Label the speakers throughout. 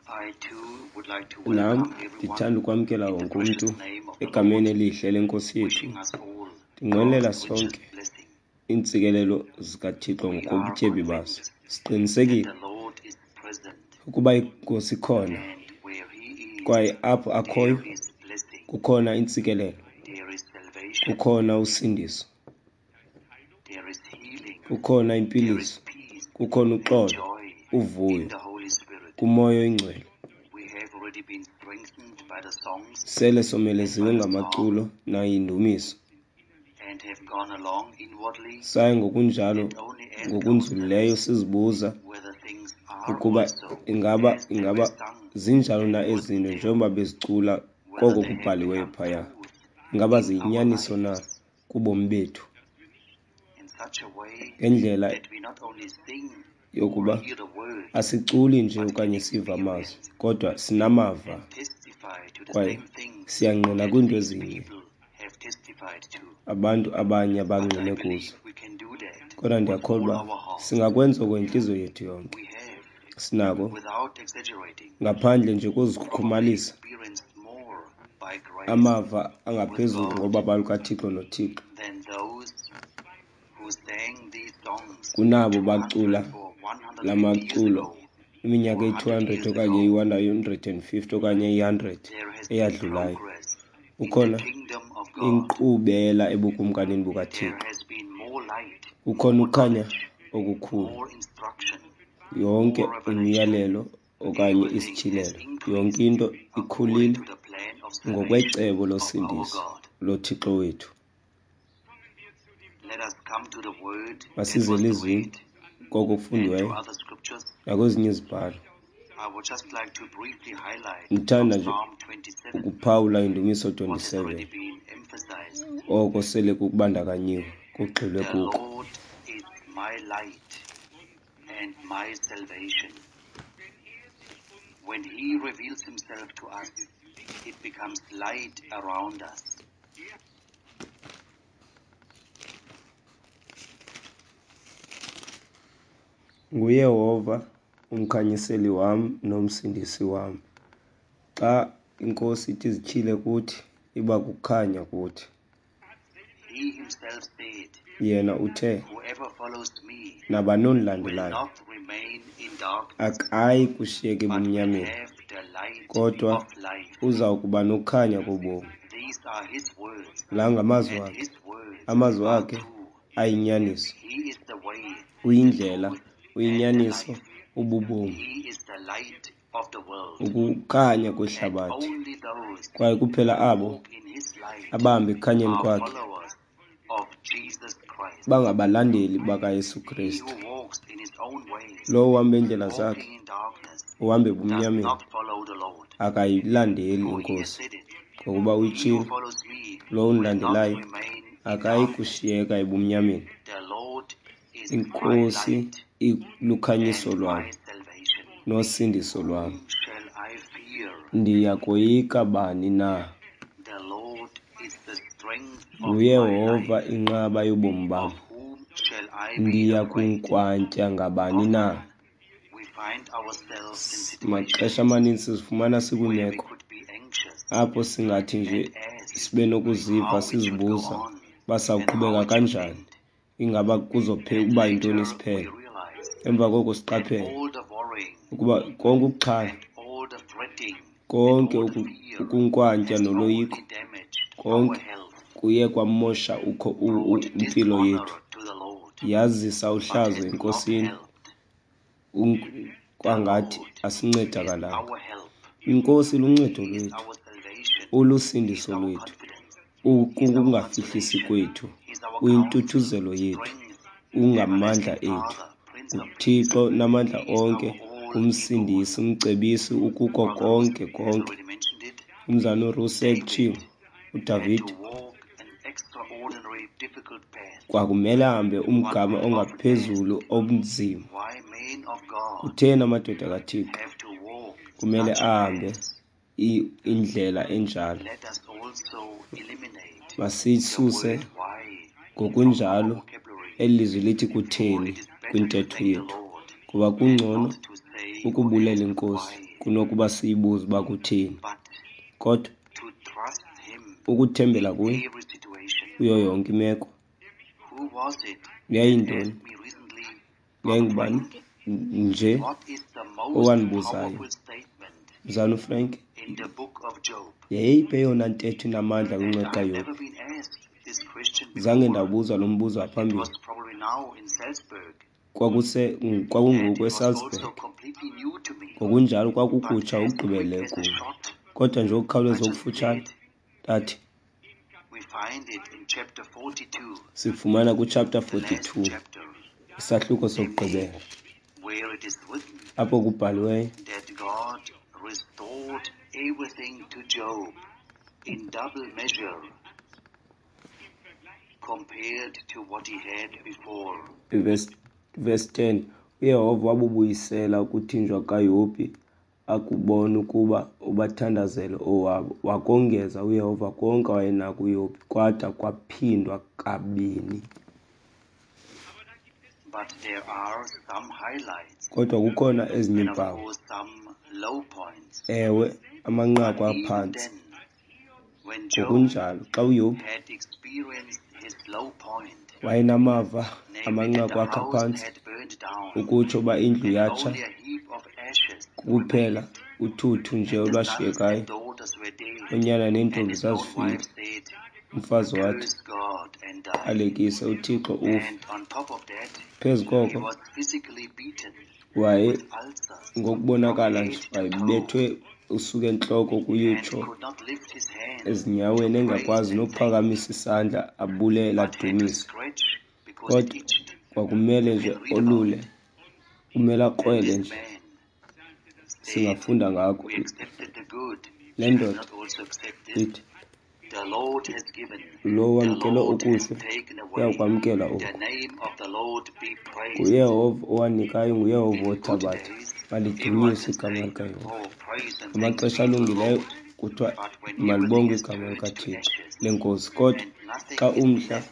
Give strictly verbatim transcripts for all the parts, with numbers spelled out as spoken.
Speaker 1: I too would like to
Speaker 2: Nam
Speaker 1: welcome everyone
Speaker 2: ndithanda ukwamkela
Speaker 1: in the
Speaker 2: wonke umntu
Speaker 1: precious name of the
Speaker 2: egameni
Speaker 1: Lord,
Speaker 2: elihle lenkosi yethu.
Speaker 1: wishing us all
Speaker 2: Ndinqwenela
Speaker 1: God's richest
Speaker 2: sonke
Speaker 1: blessing.
Speaker 2: iintsikelelo zikaThixo
Speaker 1: We are
Speaker 2: ngokobutyebi bazo.
Speaker 1: convinced that
Speaker 2: Siqinisekile
Speaker 1: the Lord is present,
Speaker 2: ukuba iNkosi ikhona
Speaker 1: and where He is,
Speaker 2: kwaye apho akhoyo
Speaker 1: there is blessing,
Speaker 2: kukhona intsikelelo,
Speaker 1: there is salvation,
Speaker 2: kukhona usindiso,
Speaker 1: there is healing,
Speaker 2: kukhona
Speaker 1: there is
Speaker 2: impiliso,
Speaker 1: peace
Speaker 2: kukhona
Speaker 1: and
Speaker 2: uxolo,
Speaker 1: joy in
Speaker 2: uvuyo
Speaker 1: the Holy Spirit.
Speaker 2: kuMoya oyiNgcwele.
Speaker 1: We have already been strengthened by the songs
Speaker 2: Sele
Speaker 1: and
Speaker 2: someleziwe
Speaker 1: by the psalm
Speaker 2: ngamaculo nayindumiso.
Speaker 1: and have gone along inwardly
Speaker 2: Saye ngokunjalo
Speaker 1: and only ask
Speaker 2: ngokunzulileyo
Speaker 1: ourselves
Speaker 2: sizibuza
Speaker 1: whether things are
Speaker 2: ukuba
Speaker 1: also
Speaker 2: ingaba
Speaker 1: as they were
Speaker 2: ingaba
Speaker 1: sung
Speaker 2: zinjalo
Speaker 1: and
Speaker 2: na
Speaker 1: put
Speaker 2: ezi zinto
Speaker 1: there,
Speaker 2: njengoba bezicula
Speaker 1: whether
Speaker 2: koko
Speaker 1: they have
Speaker 2: kubhaliweyo
Speaker 1: become
Speaker 2: phaya.
Speaker 1: truth
Speaker 2: Ingaba
Speaker 1: in our
Speaker 2: ziyinyaniso na
Speaker 1: lives
Speaker 2: kubomi bethu?
Speaker 1: in such a way
Speaker 2: Ngendlela
Speaker 1: that we not only sing or
Speaker 2: yokuba
Speaker 1: hear the words,
Speaker 2: asiculi nje
Speaker 1: but can
Speaker 2: okanye siva amazwi,
Speaker 1: experience
Speaker 2: kodwa sinamava
Speaker 1: and testify to the
Speaker 2: kwaye
Speaker 1: same things
Speaker 2: siyangqina
Speaker 1: that
Speaker 2: kwiinto
Speaker 1: these
Speaker 2: ezinye
Speaker 1: people have testified to.
Speaker 2: abantu abanye
Speaker 1: But I
Speaker 2: abangqine kuzo.
Speaker 1: believe we can do that
Speaker 2: Kodwa
Speaker 1: with all
Speaker 2: ndiyakholwa
Speaker 1: our heart.
Speaker 2: singakwenza oko ngentliziyo yethu yonke.
Speaker 1: We have,
Speaker 2: Sinako
Speaker 1: without exaggerating,
Speaker 2: ngaphandle nje
Speaker 1: probably
Speaker 2: kozikhukhumalisa
Speaker 1: experienced more by grace
Speaker 2: amava
Speaker 1: with
Speaker 2: angaphezulu
Speaker 1: God
Speaker 2: ngobabalo lukaThixo noThixo
Speaker 1: than those who sang these songs
Speaker 2: kunabo
Speaker 1: two
Speaker 2: bacula
Speaker 1: hundred or one hundred
Speaker 2: la
Speaker 1: fifty years
Speaker 2: maculo
Speaker 1: ago
Speaker 2: iminyaka
Speaker 1: or
Speaker 2: eyi-two
Speaker 1: hundred
Speaker 2: hundred
Speaker 1: years
Speaker 2: okanye
Speaker 1: ago.
Speaker 2: iyi-one hundred and fifty okanye iyi-hundred
Speaker 1: There has been
Speaker 2: eyadlulayo.
Speaker 1: progress in the
Speaker 2: Kukhona
Speaker 1: kingdom of God.
Speaker 2: inkqubela ebukumkanini
Speaker 1: There
Speaker 2: bukaThixo.
Speaker 1: has been more light,
Speaker 2: Kukhona
Speaker 1: more
Speaker 2: ukukhanya
Speaker 1: knowledge,
Speaker 2: okukhulu,
Speaker 1: more instruction,
Speaker 2: yonke
Speaker 1: more revelation.
Speaker 2: imiyalelo okanye
Speaker 1: Everything has
Speaker 2: isityhilelo, yonke
Speaker 1: increased
Speaker 2: into
Speaker 1: according
Speaker 2: ikhulile
Speaker 1: to the plan of salvation
Speaker 2: ngokwecebo
Speaker 1: of our
Speaker 2: losindiso
Speaker 1: God.
Speaker 2: loThixo wethu.
Speaker 1: Let us come to the word that
Speaker 2: Masize
Speaker 1: was the
Speaker 2: elizwini
Speaker 1: read
Speaker 2: koko
Speaker 1: and to
Speaker 2: kufundiweyo
Speaker 1: other scriptures.
Speaker 2: nakwezinye izibhalo.
Speaker 1: I would just like to briefly highlight from
Speaker 2: Ndithanda nje
Speaker 1: Psalm twenty-seven
Speaker 2: ukuphawula indumiso
Speaker 1: what has already
Speaker 2: twenty-seven
Speaker 1: been emphasized.
Speaker 2: oko sele kubandakanyiwe kugxilwe
Speaker 1: The
Speaker 2: kuko.
Speaker 1: Lord is my light and my salvation. When he reveals himself to us, it becomes light around us.
Speaker 2: NguYehova umkhanyiseli wam nomsindisi wam. Xa iNkosi ithi izityhile kuthi, iba kukhanya kuthi.
Speaker 1: He himself said,
Speaker 2: Yena uthe,
Speaker 1: Whoever follows me
Speaker 2: nabani
Speaker 1: will
Speaker 2: ondilandelayo
Speaker 1: not remain in darkness,
Speaker 2: akayi kushiyeka
Speaker 1: but will
Speaker 2: ebumnyameni,
Speaker 1: have the light
Speaker 2: kodwa
Speaker 1: of life.
Speaker 2: uza kuba nokukhanya kobomi.
Speaker 1: These are his words,
Speaker 2: La ngamazwi
Speaker 1: and
Speaker 2: akhe.
Speaker 1: his words
Speaker 2: Amazwi
Speaker 1: are
Speaker 2: akhe
Speaker 1: true.
Speaker 2: ayinyaniso.
Speaker 1: He is the way, the
Speaker 2: Uyindlela,
Speaker 1: truth, and the
Speaker 2: uyinyaniso,
Speaker 1: life.
Speaker 2: ububomi,
Speaker 1: He is the light of the world,
Speaker 2: ukukhanya
Speaker 1: and
Speaker 2: kwehlabathi.
Speaker 1: only those
Speaker 2: Kwaye kuphela
Speaker 1: who
Speaker 2: abo
Speaker 1: walk in his light
Speaker 2: abahamba ekukhanyeni
Speaker 1: are
Speaker 2: kwakhe
Speaker 1: followers of Jesus Christ.
Speaker 2: bangabalandeli bakaYesu
Speaker 1: He
Speaker 2: Kristu.
Speaker 1: who walks in his own ways,
Speaker 2: Lowo uhamba iindlela zakhe,
Speaker 1: walking in darkness,
Speaker 2: uhamba
Speaker 1: does
Speaker 2: ebumnyameni,
Speaker 1: not follow the Lord.
Speaker 2: akayilandeli
Speaker 1: For he has
Speaker 2: iNkosi.
Speaker 1: said it,
Speaker 2: Ngokuba
Speaker 1: He who
Speaker 2: uyitshilo,
Speaker 1: follows me
Speaker 2: lowo
Speaker 1: will not
Speaker 2: undilandelayo
Speaker 1: remain in
Speaker 2: akayi
Speaker 1: darkness.
Speaker 2: kushiyeka ebumnyameni.
Speaker 1: The Lord is my
Speaker 2: INkosi
Speaker 1: light
Speaker 2: ilukhanyiso
Speaker 1: and
Speaker 2: lwam
Speaker 1: my salvation.
Speaker 2: nosindiso lwam.
Speaker 1: Whom shall I fear?
Speaker 2: Ndiya koyika bani na?
Speaker 1: The Lord is the strength of my
Speaker 2: NguYehova
Speaker 1: life.
Speaker 2: inqaba yobomi bam.
Speaker 1: Of whom shall I be
Speaker 2: Ndiya
Speaker 1: afraid?
Speaker 2: kunkwantya ngabani na?
Speaker 1: Often we find ourselves in
Speaker 2: Maxesha
Speaker 1: situations
Speaker 2: amaninzi sizifumana
Speaker 1: where we
Speaker 2: sikwiimeko
Speaker 1: could be anxious
Speaker 2: apho singathi nje
Speaker 1: and ask
Speaker 2: sibe nokuziva
Speaker 1: how it should go
Speaker 2: sizibuza
Speaker 1: on
Speaker 2: uba
Speaker 1: and how
Speaker 2: sawuqhubeka
Speaker 1: it should
Speaker 2: kanjani,
Speaker 1: end.
Speaker 2: ingaba kuzophe
Speaker 1: And
Speaker 2: uba yintoni
Speaker 1: later we
Speaker 2: isiphelo.
Speaker 1: realize
Speaker 2: Emva koko
Speaker 1: that
Speaker 2: siqaphele
Speaker 1: all the worrying
Speaker 2: ukuba konke ukuxhala,
Speaker 1: and all the fretting and
Speaker 2: konke
Speaker 1: all the
Speaker 2: uku-
Speaker 1: fear
Speaker 2: ukunkwantya
Speaker 1: has
Speaker 2: noloyiko,
Speaker 1: only damaged our
Speaker 2: konke
Speaker 1: health,
Speaker 2: kuye kwamosha ukho u- u-
Speaker 1: brought
Speaker 2: impilo
Speaker 1: dishonor
Speaker 2: yethu,
Speaker 1: to the Lord,
Speaker 2: yazisa
Speaker 1: but
Speaker 2: uhlazo
Speaker 1: has not
Speaker 2: eNkosini,
Speaker 1: helped.
Speaker 2: un-
Speaker 1: The
Speaker 2: kwangathi
Speaker 1: Lord is
Speaker 2: asincedakalanga.
Speaker 1: our help.
Speaker 2: INkosi luncedo
Speaker 1: He is
Speaker 2: lwethu,
Speaker 1: our salvation. He is
Speaker 2: ulusindiso
Speaker 1: our
Speaker 2: lwethu,
Speaker 1: confidence. He is our
Speaker 2: ukungafihlisi
Speaker 1: consolation.
Speaker 2: kwethu,
Speaker 1: He is our counselor,
Speaker 2: uyintuthuzelo yethu,
Speaker 1: strength,
Speaker 2: ungamandla
Speaker 1: everlasting
Speaker 2: ethu.
Speaker 1: Father, Prince of Peace.
Speaker 2: UThixo namandla
Speaker 1: He is our
Speaker 2: onke,
Speaker 1: all in all.
Speaker 2: umsindisi, umcebisi, ukuko
Speaker 1: Brother
Speaker 2: konke
Speaker 1: Russell has
Speaker 2: konke.
Speaker 1: already mentioned it.
Speaker 2: Umzana uRussell
Speaker 1: David
Speaker 2: utshilo,
Speaker 1: had
Speaker 2: uDavide
Speaker 1: to walk an extraordinary difficult path.
Speaker 2: kwakumele ahambe
Speaker 1: One
Speaker 2: umgama
Speaker 1: will often ask,
Speaker 2: ongaphezulu obunzima.
Speaker 1: why men of God
Speaker 2: Kutheni amadoda kaThixo
Speaker 1: have to walk
Speaker 2: kumele
Speaker 1: such
Speaker 2: ahambe
Speaker 1: paths?
Speaker 2: i- indlela enjalo?
Speaker 1: Let us also eliminate the
Speaker 2: Masisuse
Speaker 1: word why from our
Speaker 2: ngokunjalo
Speaker 1: vocabulary,
Speaker 2: eli lizwi lithi
Speaker 1: for
Speaker 2: kutheni
Speaker 1: it is better to
Speaker 2: kwintetho
Speaker 1: thank the
Speaker 2: yethu,
Speaker 1: Lord
Speaker 2: kuba
Speaker 1: than
Speaker 2: kungcono
Speaker 1: not to say or
Speaker 2: ukubulela
Speaker 1: ask
Speaker 2: iNkosi
Speaker 1: why.
Speaker 2: Kunokuba siyibuze uba kutheni,
Speaker 1: But
Speaker 2: kodwa
Speaker 1: to trust Him
Speaker 2: ukuthembela
Speaker 1: in
Speaker 2: kuye
Speaker 1: every situation.
Speaker 2: kuyo yonke imeko.
Speaker 1: Who was it that
Speaker 2: Yayintoni?
Speaker 1: asked me recently, Brother
Speaker 2: Yayingubani
Speaker 1: Frank,
Speaker 2: nje
Speaker 1: what is the most
Speaker 2: owandibuzayo,
Speaker 1: powerful statement
Speaker 2: Mzalwana uFrank,
Speaker 1: in the book of Job?
Speaker 2: yeyiphi eyona ntetho inamandla
Speaker 1: And
Speaker 2: kwincwadi
Speaker 1: I've
Speaker 2: kaYobhi?
Speaker 1: never been asked this question
Speaker 2: Zange
Speaker 1: before.
Speaker 2: ndabuzwa lo mbuzo
Speaker 1: It
Speaker 2: ngaphambili.
Speaker 1: was probably now in Salzburg,
Speaker 2: Kwakuse
Speaker 1: and
Speaker 2: kwakungoku
Speaker 1: it was
Speaker 2: eSalzburg.
Speaker 1: also completely new to me.
Speaker 2: Ngokunjalo
Speaker 1: But
Speaker 2: kwakukutsha
Speaker 1: as quick
Speaker 2: okugqibeleleyo
Speaker 1: as a
Speaker 2: kum.
Speaker 1: shot,
Speaker 2: Kodwa nje
Speaker 1: I
Speaker 2: okukhawuleza
Speaker 1: just
Speaker 2: okufutshane
Speaker 1: said,
Speaker 2: ndathi
Speaker 1: we find it in chapter forty-two,
Speaker 2: sifumana kuchapter
Speaker 1: the last
Speaker 2: forty-two,
Speaker 1: chapter,
Speaker 2: isahluko
Speaker 1: namely,
Speaker 2: sokugqibela,
Speaker 1: where it is written
Speaker 2: apho kubhaliweyo
Speaker 1: that God restored everything to Job in double measure compared to what he had before.
Speaker 2: Verse, verse ten, uYehova wabubuyisela ukuthinjwa kaYobhi akubona ukuba ubathandazele owabo. Wakongeza uYehova konke awayenako uYobhi, kwada kwaphindwa kabini.
Speaker 1: But there are some highlights
Speaker 2: Kodwa kukhona ezinye
Speaker 1: and of
Speaker 2: iimpawu.
Speaker 1: course some low points.
Speaker 2: Ewe, amanqaku
Speaker 1: But even
Speaker 2: aphantsi.
Speaker 1: then, when Job
Speaker 2: Ngokunjalo, xa uYobhi
Speaker 1: had experienced his low point,
Speaker 2: wayenamava
Speaker 1: namely that
Speaker 2: amanqaku
Speaker 1: the
Speaker 2: akhe
Speaker 1: house
Speaker 2: aphantsi,
Speaker 1: had burned down
Speaker 2: ukutsho uba indlu
Speaker 1: and
Speaker 2: yatsha
Speaker 1: only a heap of ashes
Speaker 2: kuphela
Speaker 1: remained,
Speaker 2: uthuthu nje
Speaker 1: and the sons and
Speaker 2: olwashiyekayo,
Speaker 1: daughters were dead,
Speaker 2: oonyana
Speaker 1: and
Speaker 2: neentombi
Speaker 1: his own
Speaker 2: zazifile.
Speaker 1: wife said,
Speaker 2: Umfazi wathi,
Speaker 1: "Curse God and die."
Speaker 2: alekise uThixo ufe.
Speaker 1: And on top of that,
Speaker 2: Phezu
Speaker 1: he
Speaker 2: koko
Speaker 1: was physically beaten
Speaker 2: waye
Speaker 1: with ulcers from
Speaker 2: ngokubonakala
Speaker 1: head
Speaker 2: nje
Speaker 1: to toe
Speaker 2: wayebethwe usuka entloko
Speaker 1: and
Speaker 2: kuyutsho
Speaker 1: could not lift his hand to
Speaker 2: ezinyaweni,
Speaker 1: praise
Speaker 2: engakwazi
Speaker 1: and thank,
Speaker 2: nokuphakamisa isandla abulele
Speaker 1: but had to
Speaker 2: adumise.
Speaker 1: scratch because it
Speaker 2: Kodwa
Speaker 1: itched.
Speaker 2: kwakumele
Speaker 1: You
Speaker 2: nje
Speaker 1: can read about
Speaker 2: olule,
Speaker 1: it.
Speaker 2: kumele
Speaker 1: And
Speaker 2: akrwele
Speaker 1: this
Speaker 2: nje.
Speaker 1: man said,
Speaker 2: Singafunda ngako.
Speaker 1: "We accepted the good.
Speaker 2: Le
Speaker 1: Shall we
Speaker 2: ndoda
Speaker 1: not also accept this?
Speaker 2: ithi,
Speaker 1: The Lord has given,
Speaker 2: lo
Speaker 1: the
Speaker 2: wamkele
Speaker 1: Lord has
Speaker 2: okuhle
Speaker 1: taken away.
Speaker 2: uyakwamkela
Speaker 1: The
Speaker 2: oku.
Speaker 1: name of the Lord be praised."
Speaker 2: NguYehova owanikayo, nguYehova
Speaker 1: In good
Speaker 2: othabatha.
Speaker 1: days, everyone
Speaker 2: Malidunyiswe
Speaker 1: can
Speaker 2: igama
Speaker 1: say,
Speaker 2: likaYehova.
Speaker 1: "Oh, praise and thanks
Speaker 2: Ngamaxesha
Speaker 1: be to the
Speaker 2: alungileyo
Speaker 1: Lord."
Speaker 2: kuthiwa
Speaker 1: But when everything
Speaker 2: malibongwe
Speaker 1: is
Speaker 2: igama
Speaker 1: turned to
Speaker 2: likaThixo
Speaker 1: ashes
Speaker 2: lenkosi. Kodwa
Speaker 1: and nothing
Speaker 2: xa
Speaker 1: is
Speaker 2: umhla
Speaker 1: left,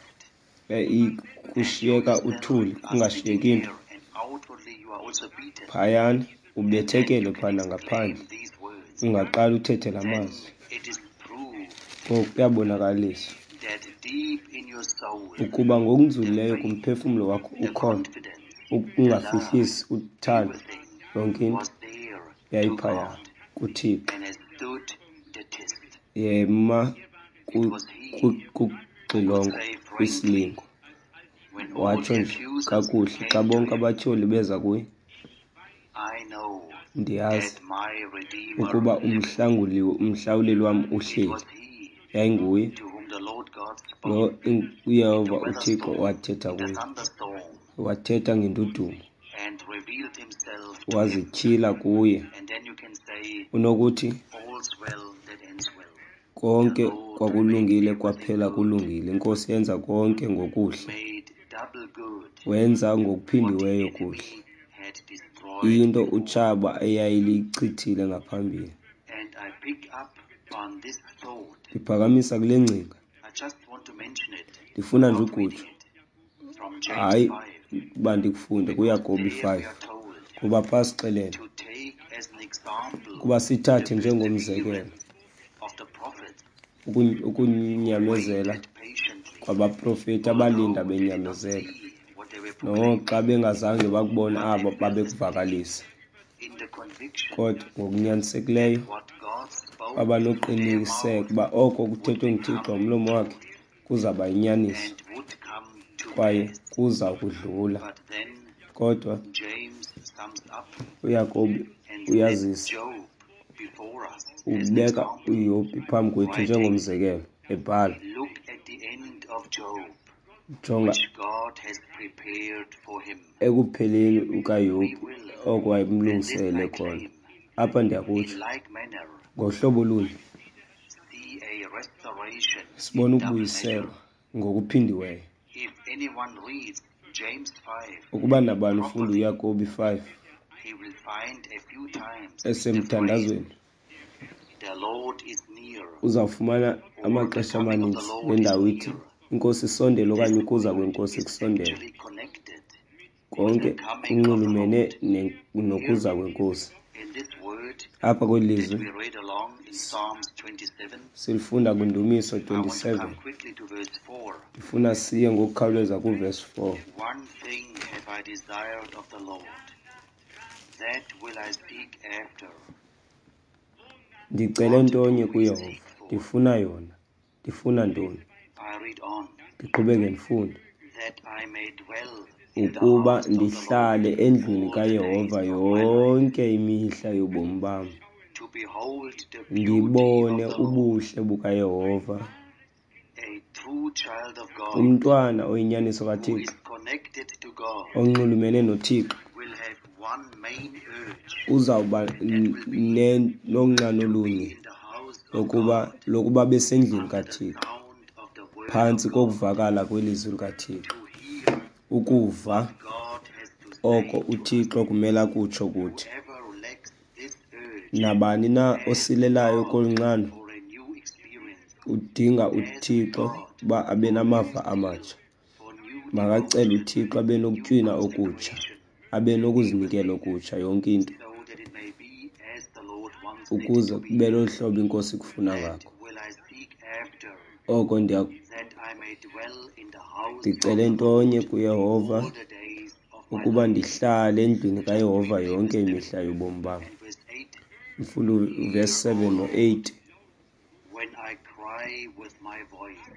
Speaker 2: eh, i-
Speaker 1: and you
Speaker 2: kushiyeka
Speaker 1: yourself
Speaker 2: uthuli
Speaker 1: are sitting
Speaker 2: kungashiyeki nto,
Speaker 1: there and outwardly you are also beaten,
Speaker 2: phayana
Speaker 1: and then
Speaker 2: ubethekele
Speaker 1: you can
Speaker 2: phana
Speaker 1: exclaim
Speaker 2: ngaphandle,
Speaker 1: these words,
Speaker 2: ungaqala uthethe la
Speaker 1: then
Speaker 2: mazwi.
Speaker 1: it is proved
Speaker 2: Ngoku kuyabonakaliswa
Speaker 1: that deep in your soul,
Speaker 2: ukuba
Speaker 1: the
Speaker 2: ngokunzulileyo
Speaker 1: faith,
Speaker 2: kumphefumlo wakho
Speaker 1: the
Speaker 2: ukhona
Speaker 1: confidence, the love,
Speaker 2: ukungafihlisi uthando,
Speaker 1: everything
Speaker 2: yonke into
Speaker 1: was there to
Speaker 2: yayiphaya
Speaker 1: God
Speaker 2: kuThixo.
Speaker 1: and has stood the test.
Speaker 2: Yema
Speaker 1: It
Speaker 2: ku-
Speaker 1: was he
Speaker 2: ku-
Speaker 1: who could
Speaker 2: kuxilongo
Speaker 1: say frankly,
Speaker 2: kwisilingo,
Speaker 1: when all
Speaker 2: watsho
Speaker 1: the
Speaker 2: nje
Speaker 1: accusers
Speaker 2: kakuhle xa
Speaker 1: came to
Speaker 2: bonke
Speaker 1: him,
Speaker 2: abatyholi beza kuye,
Speaker 1: "I know
Speaker 2: ndiyazi
Speaker 1: that my Redeemer
Speaker 2: ukuba
Speaker 1: liveth."
Speaker 2: umhlanguli umhlawuleli wam
Speaker 1: It
Speaker 2: uhleli.
Speaker 1: was he
Speaker 2: Yayinguye
Speaker 1: to whom the Lord God
Speaker 2: lo
Speaker 1: spoke
Speaker 2: in-
Speaker 1: in the
Speaker 2: uYehova uThixo
Speaker 1: weatherstorm,
Speaker 2: wathetha
Speaker 1: in the
Speaker 2: kuye,
Speaker 1: thunderstorm,
Speaker 2: wathetha ngendudumo,
Speaker 1: and revealed himself to him.
Speaker 2: wazityhila kuye.
Speaker 1: And then you can say,
Speaker 2: Unokuthi
Speaker 1: "All's well that ends well." The
Speaker 2: konke
Speaker 1: Lord made
Speaker 2: kwakulungile
Speaker 1: everything
Speaker 2: kwaphela
Speaker 1: good,
Speaker 2: kulungile. INkosi yenza konke ngokuhle,
Speaker 1: made double good
Speaker 2: wenza
Speaker 1: what the
Speaker 2: ngokuphindiweyo kuhle
Speaker 1: enemy had destroyed
Speaker 2: into
Speaker 1: before.
Speaker 2: utshaba eyayilichithile ngaphambili.
Speaker 1: And I pick up on this thought.
Speaker 2: Ndiphakamisa kule ngcinga,
Speaker 1: I just want to mention it
Speaker 2: ndifuna nje
Speaker 1: without
Speaker 2: ukutsho,
Speaker 1: reading it from James
Speaker 2: hayi
Speaker 1: five,
Speaker 2: uba ndikufunde
Speaker 1: because
Speaker 2: kuYakobi
Speaker 1: there we
Speaker 2: five,
Speaker 1: are told
Speaker 2: kuba phaa sixelele
Speaker 1: to take as an example
Speaker 2: ukuba
Speaker 1: the
Speaker 2: sithathe njengomzekelo
Speaker 1: perseverance of the prophets
Speaker 2: ukun-
Speaker 1: who
Speaker 2: ukunyamezela
Speaker 1: waited patiently,
Speaker 2: kwabaprofeti abalinda
Speaker 1: although they did not
Speaker 2: benyamezele,
Speaker 1: see what they were proclaiming,
Speaker 2: noxa bengazange bakubona
Speaker 1: but
Speaker 2: abo
Speaker 1: they persisted
Speaker 2: babekuvakalisa.
Speaker 1: in the conviction
Speaker 2: Kodwa ngokunyanisekileyo
Speaker 1: that what God spoke
Speaker 2: baba
Speaker 1: through their
Speaker 2: noqiniseko
Speaker 1: mouth
Speaker 2: uba oko
Speaker 1: would
Speaker 2: kuthethwe nguThixo
Speaker 1: become
Speaker 2: ngomlomo wakhe
Speaker 1: truth
Speaker 2: kuzawuba yinyaniso
Speaker 1: and would come to
Speaker 2: kwaye
Speaker 1: pass.
Speaker 2: kuza kudlula.
Speaker 1: But then
Speaker 2: Kodwa
Speaker 1: James sums up
Speaker 2: uYakobi
Speaker 1: and sets
Speaker 2: uyazisa,
Speaker 1: Job before us as an
Speaker 2: ubeka
Speaker 1: example,
Speaker 2: uYobhi phambi kwethu
Speaker 1: writing,
Speaker 2: njengomzekelo, ebhala,
Speaker 1: "Look at the end of Job,
Speaker 2: jonga
Speaker 1: which God has prepared for him."
Speaker 2: ekupheleni
Speaker 1: We
Speaker 2: kukaYobhi
Speaker 1: will,
Speaker 2: oko
Speaker 1: and this
Speaker 2: wayemlungisele
Speaker 1: I
Speaker 2: khona.
Speaker 1: claim,
Speaker 2: Apha
Speaker 1: in
Speaker 2: ndiyakutsho
Speaker 1: like manner,
Speaker 2: ngohlobo olunye
Speaker 1: see a restoration
Speaker 2: sibona
Speaker 1: in double measure.
Speaker 2: ukubuyiselwa ngokuphindiweyo.
Speaker 1: If anyone reads James five
Speaker 2: Ukuba nabani ufunda
Speaker 1: properly,
Speaker 2: uYakobi five
Speaker 1: he will find a few times the phrase,
Speaker 2: esemthandazweni,
Speaker 1: "The Lord is near,"
Speaker 2: uzawufumana
Speaker 1: or "The
Speaker 2: amaxesha
Speaker 1: coming of the
Speaker 2: amaninzi
Speaker 1: Lord
Speaker 2: le
Speaker 1: is
Speaker 2: ndawo ithi
Speaker 1: near."
Speaker 2: iNkosi isondele okanye
Speaker 1: This
Speaker 2: ukuza
Speaker 1: word
Speaker 2: kweNkosi
Speaker 1: is
Speaker 2: kusondele.
Speaker 1: actually connected with
Speaker 2: Konke
Speaker 1: the coming of the
Speaker 2: kunxulumene
Speaker 1: Lord.
Speaker 2: ne-
Speaker 1: Here,
Speaker 2: nokuza kweNkosi.
Speaker 1: in this word,
Speaker 2: Apha kweli
Speaker 1: that
Speaker 2: lizwi
Speaker 1: we read along in Psalms twenty-seven,
Speaker 2: silifunda kwindumiso
Speaker 1: I want to
Speaker 2: twenty-seven.
Speaker 1: come quickly to verse four.
Speaker 2: Ndifuna siye ngokukhawuleza kuvesi four.
Speaker 1: One thing have I desired of the Lord, that will I seek after.
Speaker 2: Ndicele ntonye kuYehova, ndifuna yona. Ndifuna ntoni?
Speaker 1: I read on,
Speaker 2: Ndiqhubeke ndifunde.
Speaker 1: that I may dwell in the
Speaker 2: Ukuba
Speaker 1: house of the Lord
Speaker 2: ndihlale endlwini
Speaker 1: all the days
Speaker 2: kaYehova
Speaker 1: of my life,
Speaker 2: yonke imihla yobomi bam,
Speaker 1: to behold the beauty
Speaker 2: ndibone
Speaker 1: of the Lord.
Speaker 2: ubuhle bukaYehova.
Speaker 1: A true child of God
Speaker 2: Umntwana oyinyaniso
Speaker 1: who
Speaker 2: kaThixo
Speaker 1: is connected to God
Speaker 2: onxulumene noThixo
Speaker 1: will have one main urge,
Speaker 2: uzawuba
Speaker 1: and that will be
Speaker 2: ne- nonxano
Speaker 1: to be
Speaker 2: olunye
Speaker 1: in the house of
Speaker 2: lokuba
Speaker 1: God
Speaker 2: lokuba besendlwini
Speaker 1: under the
Speaker 2: kaThixo,
Speaker 1: sound of the word
Speaker 2: phantsi
Speaker 1: of God,
Speaker 2: kokuvakala kwelizwi likaThixo,
Speaker 1: to hear
Speaker 2: ukuva
Speaker 1: what God has to say
Speaker 2: oko
Speaker 1: to us.
Speaker 2: uThixo kumele akutsho kuthi.
Speaker 1: Whoever lacks this urge
Speaker 2: Nabani na
Speaker 1: asks
Speaker 2: osilelayo
Speaker 1: God
Speaker 2: kolu nxano
Speaker 1: for a new experience,
Speaker 2: udinga
Speaker 1: asks
Speaker 2: uThixo
Speaker 1: God
Speaker 2: uba abe
Speaker 1: for new
Speaker 2: namava
Speaker 1: zeal,
Speaker 2: amatsha.
Speaker 1: for new
Speaker 2: Makacele
Speaker 1: devotion,
Speaker 2: uThixo abe
Speaker 1: new
Speaker 2: nokutywina okutsha,
Speaker 1: consecration,
Speaker 2: abe nokuzinikela
Speaker 1: everything,
Speaker 2: okutsha, yonke into,
Speaker 1: so that it may be as the Lord wants it
Speaker 2: ukuze
Speaker 1: to be.
Speaker 2: kube lolu hlobo iNkosi ikufuna
Speaker 1: That
Speaker 2: ngakho.
Speaker 1: will I seek after,
Speaker 2: Oko ndiya
Speaker 1: that I may dwell in the house of
Speaker 2: ndicele
Speaker 1: the
Speaker 2: ntonye
Speaker 1: Lord
Speaker 2: kuYehova
Speaker 1: all the days of my
Speaker 2: ukuba
Speaker 1: life.
Speaker 2: ndihlale endlwini
Speaker 1: Just
Speaker 2: kaYehova
Speaker 1: quickly
Speaker 2: yonke
Speaker 1: verse seven
Speaker 2: imihla yobomi bam.
Speaker 1: and verse eight.
Speaker 2: Ndifunda uvesi
Speaker 1: Hear, O
Speaker 2: seven
Speaker 1: Lord,
Speaker 2: no-eight.
Speaker 1: when I cry with my voice.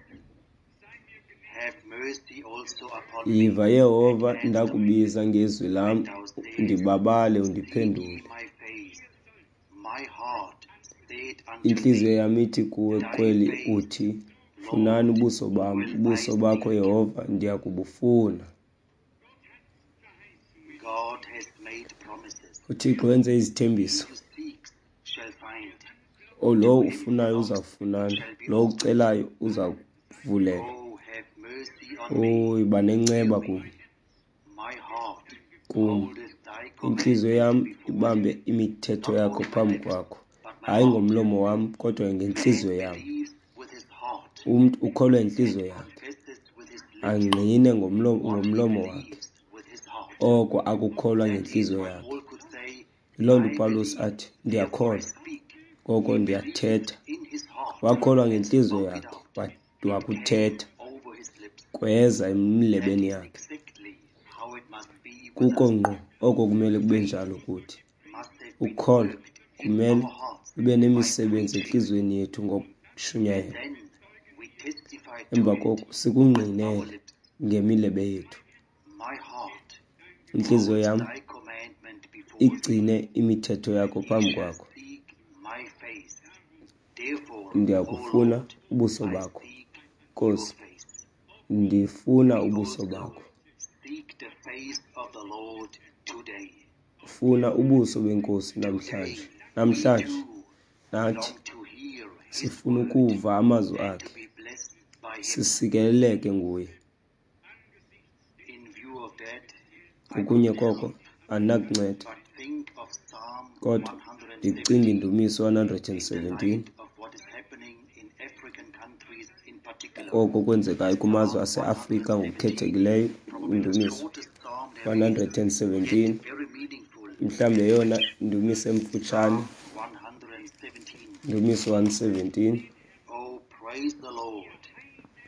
Speaker 1: Have mercy also upon me
Speaker 2: Yiva
Speaker 1: and
Speaker 2: Yehova,
Speaker 1: answer me.
Speaker 2: ndakubiza ngezwi
Speaker 1: When
Speaker 2: lam,
Speaker 1: thou sayest,
Speaker 2: undibabale
Speaker 1: Seek ye
Speaker 2: undiphendule.
Speaker 1: my face, my heart said unto
Speaker 2: Intliziyo
Speaker 1: thee,
Speaker 2: yam ithi kuwe
Speaker 1: Thy
Speaker 2: kweli
Speaker 1: face,
Speaker 2: uthi, funani
Speaker 1: Lord,
Speaker 2: ubuso bam,
Speaker 1: will I
Speaker 2: ubuso bakho
Speaker 1: seek.
Speaker 2: Yehova ndiyakubufuna.
Speaker 1: God has made promises.
Speaker 2: UThixo wenze
Speaker 1: He
Speaker 2: izithembiso.
Speaker 1: who seeks shall find.
Speaker 2: O
Speaker 1: To
Speaker 2: lowo
Speaker 1: him who
Speaker 2: ufunayo
Speaker 1: knocks, it
Speaker 2: uzawufunana,
Speaker 1: shall be
Speaker 2: lowo
Speaker 1: opened.
Speaker 2: ucelayo uzawuvulelwa.
Speaker 1: Oh, have mercy on me.
Speaker 2: Oyi, yiba nenceba
Speaker 1: Hear me.
Speaker 2: kum,
Speaker 1: My heart
Speaker 2: kum.
Speaker 1: holdeth thy
Speaker 2: Intliziyo
Speaker 1: commandment
Speaker 2: yam
Speaker 1: before
Speaker 2: ibambe
Speaker 1: thee,
Speaker 2: imithetho
Speaker 1: not
Speaker 2: yakho
Speaker 1: on my
Speaker 2: phambi
Speaker 1: lips,
Speaker 2: kwakho,
Speaker 1: but my
Speaker 2: hayi
Speaker 1: heart.
Speaker 2: ngomlomo wam, kodwa
Speaker 1: Man
Speaker 2: ngentliziyo yam.
Speaker 1: believes with his heart
Speaker 2: Umntu ukholwa
Speaker 1: and
Speaker 2: yintliziyo yakhe,
Speaker 1: confesses with his lips
Speaker 2: angqine ngomlomo
Speaker 1: what he
Speaker 2: ngomlomo wakhe
Speaker 1: believes with his heart.
Speaker 2: oko akukholwa
Speaker 1: That is
Speaker 2: ngentliziyo
Speaker 1: why
Speaker 2: yakhe.
Speaker 1: Paul could say,
Speaker 2: Yiloo nto
Speaker 1: I
Speaker 2: uPawulos
Speaker 1: believe,
Speaker 2: athi,
Speaker 1: therefore I
Speaker 2: ndiyakholwa,
Speaker 1: speak.
Speaker 2: ngoko
Speaker 1: He believed
Speaker 2: ndiyathetha.
Speaker 1: in his heart
Speaker 2: Wakholwa
Speaker 1: and
Speaker 2: ngentliziyo
Speaker 1: spoke it
Speaker 2: yakhe,
Speaker 1: out.
Speaker 2: wa-
Speaker 1: It came
Speaker 2: wakuthetha,
Speaker 1: over his lips.
Speaker 2: kweza
Speaker 1: That
Speaker 2: emilebeni
Speaker 1: is
Speaker 2: yakhe.
Speaker 1: exactly how it must be with
Speaker 2: Kuko
Speaker 1: us.
Speaker 2: ngqo oko kumele kube
Speaker 1: Faith
Speaker 2: njalo kuthi.
Speaker 1: must have been
Speaker 2: Ukholo
Speaker 1: worked in
Speaker 2: kumele
Speaker 1: our hearts
Speaker 2: lube
Speaker 1: by
Speaker 2: nemisebenzi
Speaker 1: preaching,
Speaker 2: entliziyweni yethu
Speaker 1: and
Speaker 2: ngokushunyayela.
Speaker 1: then we testify to
Speaker 2: Emva
Speaker 1: it
Speaker 2: koko
Speaker 1: with our
Speaker 2: sikungqinele
Speaker 1: lips.
Speaker 2: ngemilebe yethu.
Speaker 1: My heart
Speaker 2: Intliziyo
Speaker 1: holds
Speaker 2: yam
Speaker 1: thy commandment before thee.
Speaker 2: igcine imithetho yakho
Speaker 1: He
Speaker 2: phambi
Speaker 1: shall
Speaker 2: kwakho.
Speaker 1: seek my face. Therefore, O
Speaker 2: Ndiyakufuna
Speaker 1: Lord,
Speaker 2: ubuso
Speaker 1: I
Speaker 2: bakho,
Speaker 1: seek your
Speaker 2: Nkosi,
Speaker 1: face.
Speaker 2: ndifuna
Speaker 1: We
Speaker 2: ubuso
Speaker 1: also
Speaker 2: bakho.
Speaker 1: seek the face of the Lord today.
Speaker 2: Funa ubuso beNkosi
Speaker 1: Today,
Speaker 2: namhlanje.
Speaker 1: we
Speaker 2: Namhlanje
Speaker 1: too
Speaker 2: nathi
Speaker 1: long to hear his
Speaker 2: sifuna
Speaker 1: word
Speaker 2: ukuva amazwi
Speaker 1: and to
Speaker 2: akhe,
Speaker 1: be blessed by him.
Speaker 2: sisikeleleke nguye.
Speaker 1: In view of that, I
Speaker 2: Okunye
Speaker 1: could
Speaker 2: koko
Speaker 1: help
Speaker 2: andinakunceda,
Speaker 1: but think of Psalm
Speaker 2: kodwa ndicinga
Speaker 1: one hundred seventeen
Speaker 2: indumiso one hundred and
Speaker 1: in the
Speaker 2: seventeen
Speaker 1: light of what is happening in African countries in particular.
Speaker 2: koko kwenzekayo kumazwe
Speaker 1: Psalm
Speaker 2: aseAfrika
Speaker 1: one hundred seventeen,
Speaker 2: ngokukhethekileyo.
Speaker 1: probably the
Speaker 2: Indumiso
Speaker 1: shortest psalm there
Speaker 2: one
Speaker 1: is,
Speaker 2: hundred and
Speaker 1: yet
Speaker 2: seventeen
Speaker 1: very meaningful
Speaker 2: mhlawumbi
Speaker 1: and
Speaker 2: yeyona
Speaker 1: rich.
Speaker 2: ndumiso emfutshane.
Speaker 1: Psalm one hundred seventeen.
Speaker 2: Ndumiso one seventeen.
Speaker 1: Oh, praise the Lord,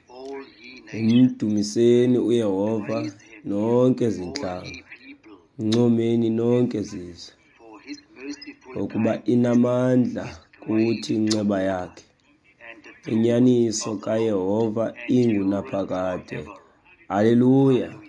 Speaker 1: all ye nations.
Speaker 2: Mdumiseni uYehova
Speaker 1: Praise him,
Speaker 2: nonke
Speaker 1: all
Speaker 2: zintlanga,
Speaker 1: ye people,
Speaker 2: mncomeni nonke zizwe,
Speaker 1: for his merciful
Speaker 2: ngokuba
Speaker 1: kindness
Speaker 2: inamandla
Speaker 1: is great
Speaker 2: kuthi inceba
Speaker 1: toward us,
Speaker 2: yakhe.
Speaker 1: and the truth
Speaker 2: Inyaniso
Speaker 1: of the Lord
Speaker 2: kaYehova
Speaker 1: endureth
Speaker 2: ingunaphakade.
Speaker 1: forever.
Speaker 2: Haleluya.
Speaker 1: Hallelujah.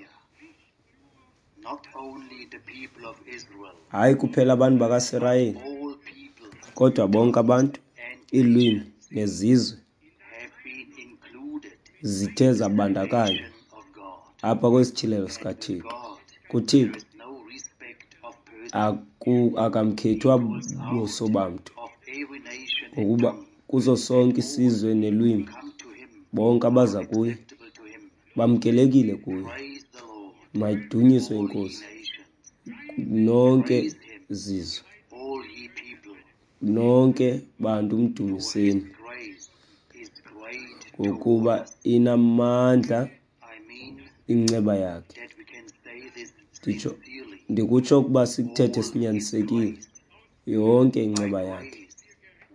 Speaker 1: Not only the people of Israel,
Speaker 2: Hayi kuphela abantu
Speaker 1: but
Speaker 2: bakaSirayeli,
Speaker 1: all peoples,
Speaker 2: kodwa bonke
Speaker 1: tongues,
Speaker 2: abantu,
Speaker 1: and
Speaker 2: iilwimi
Speaker 1: nations
Speaker 2: nezizwe
Speaker 1: have been included
Speaker 2: zithe
Speaker 1: in the
Speaker 2: zabandakanywa
Speaker 1: revelation of God.
Speaker 2: apha kwesityhilelo
Speaker 1: And with
Speaker 2: sikaThixo.
Speaker 1: God, there
Speaker 2: KuThixo
Speaker 1: is no respect of person.
Speaker 2: aku-
Speaker 1: He
Speaker 2: akamkhethwa
Speaker 1: calls
Speaker 2: buso
Speaker 1: out
Speaker 2: bamntu,
Speaker 1: of every nation and
Speaker 2: ngokuba
Speaker 1: tongue,
Speaker 2: kuso
Speaker 1: and
Speaker 2: sonke
Speaker 1: all
Speaker 2: isizwe
Speaker 1: who
Speaker 2: nelwimi
Speaker 1: come to him
Speaker 2: bonke
Speaker 1: are
Speaker 2: abaza kuye
Speaker 1: acceptable to him.
Speaker 2: bamkelekile kuye.
Speaker 1: Praise the Lord,
Speaker 2: Mayidunyiswe
Speaker 1: all ye
Speaker 2: iNkosi
Speaker 1: nations.
Speaker 2: nonke
Speaker 1: Praise him,
Speaker 2: zizwe,
Speaker 1: all ye people,
Speaker 2: nonke bantu
Speaker 1: for his
Speaker 2: mdumiseni,
Speaker 1: grace is great toward
Speaker 2: ngokuba
Speaker 1: us.
Speaker 2: inamandla
Speaker 1: I mean
Speaker 2: inceba yakhe.
Speaker 1: that we can say this
Speaker 2: Nditsho
Speaker 1: sincerely.
Speaker 2: ndikutsho ukuba sikuthethe
Speaker 1: All is
Speaker 2: sinyanisekile,
Speaker 1: grace.
Speaker 2: Yonke
Speaker 1: By
Speaker 2: inceba yakhe.
Speaker 1: grace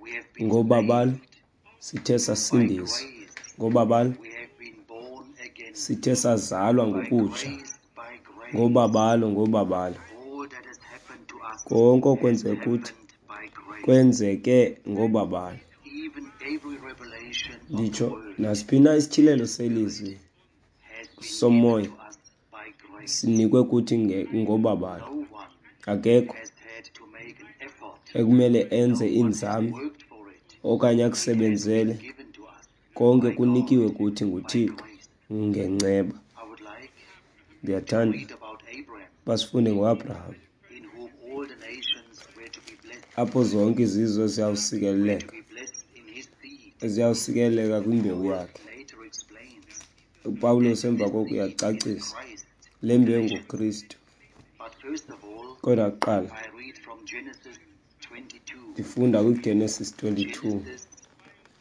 Speaker 1: we have been
Speaker 2: Ngobabalo
Speaker 1: saved.
Speaker 2: sithe
Speaker 1: By
Speaker 2: sasindiswa.
Speaker 1: grace
Speaker 2: Ngobabalo
Speaker 1: we have been born again.
Speaker 2: sithe sazalwa
Speaker 1: By
Speaker 2: ngokutsha.
Speaker 1: grace, by grace,
Speaker 2: Ngobabalo, ngobabalo.
Speaker 1: all that has happened to us
Speaker 2: Konke
Speaker 1: has
Speaker 2: okwenzeke kuthi
Speaker 1: happened by grace.
Speaker 2: kwenzeke ngobabalo.
Speaker 1: Even every revelation of the
Speaker 2: Nditsho
Speaker 1: word
Speaker 2: nasiphi na
Speaker 1: and
Speaker 2: isityhilelo
Speaker 1: the Spirit
Speaker 2: selizwi
Speaker 1: has been given
Speaker 2: somoya
Speaker 1: to us by grace.
Speaker 2: sinikwe kuthi nge- ngobabalo.
Speaker 1: No one
Speaker 2: Akekho
Speaker 1: has had to make an effort.
Speaker 2: ekumele
Speaker 1: No
Speaker 2: enze
Speaker 1: one has
Speaker 2: iinzame
Speaker 1: worked for it.
Speaker 2: okanye
Speaker 1: It has been
Speaker 2: akusebenzele.
Speaker 1: given to us
Speaker 2: Konke
Speaker 1: by
Speaker 2: kunikiwe
Speaker 1: God
Speaker 2: kuthi
Speaker 1: by
Speaker 2: nguThixo
Speaker 1: grace.
Speaker 2: ngenceba.
Speaker 1: I would like to
Speaker 2: Ndiyathanda
Speaker 1: read about Abraham,
Speaker 2: basifunde ngoAbraham,
Speaker 1: in whom all the nations were to be blessed,
Speaker 2: apho zonke izizwe
Speaker 1: were to
Speaker 2: ziyawusikeleleka,
Speaker 1: be blessed in his seed.
Speaker 2: ziyawusikeleleka kwimbewu
Speaker 1: Paul
Speaker 2: yakhe.
Speaker 1: later explains
Speaker 2: UPawulos
Speaker 1: that
Speaker 2: emva
Speaker 1: this
Speaker 2: koko
Speaker 1: seed is
Speaker 2: uyacacisa
Speaker 1: Christ,
Speaker 2: le
Speaker 1: the
Speaker 2: mbewu
Speaker 1: nation.
Speaker 2: nguKristu.
Speaker 1: But first of all,
Speaker 2: Kodwa kuqala
Speaker 1: I read from Genesis twenty-two.
Speaker 2: ndifunda kwiGenesis twenty-two.
Speaker 1: Genesis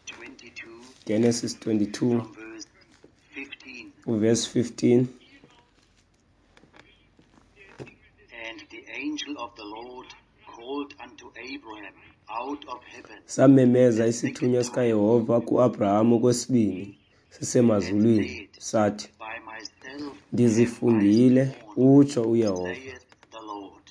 Speaker 1: twenty-two
Speaker 2: Genesis twenty-two
Speaker 1: from verse fifteen.
Speaker 2: uverse fifteen.
Speaker 1: And the angel of the Lord called unto Abraham out of heaven
Speaker 2: Samemeza
Speaker 1: the
Speaker 2: isithunywa
Speaker 1: second time
Speaker 2: sikaYehova kuAbraham okwesibini
Speaker 1: and
Speaker 2: sisemazulwini,
Speaker 1: said,
Speaker 2: sathi,
Speaker 1: By myself have I
Speaker 2: Ndizifungile,
Speaker 1: sworn,
Speaker 2: utsho uYehova,
Speaker 1: saith the Lord,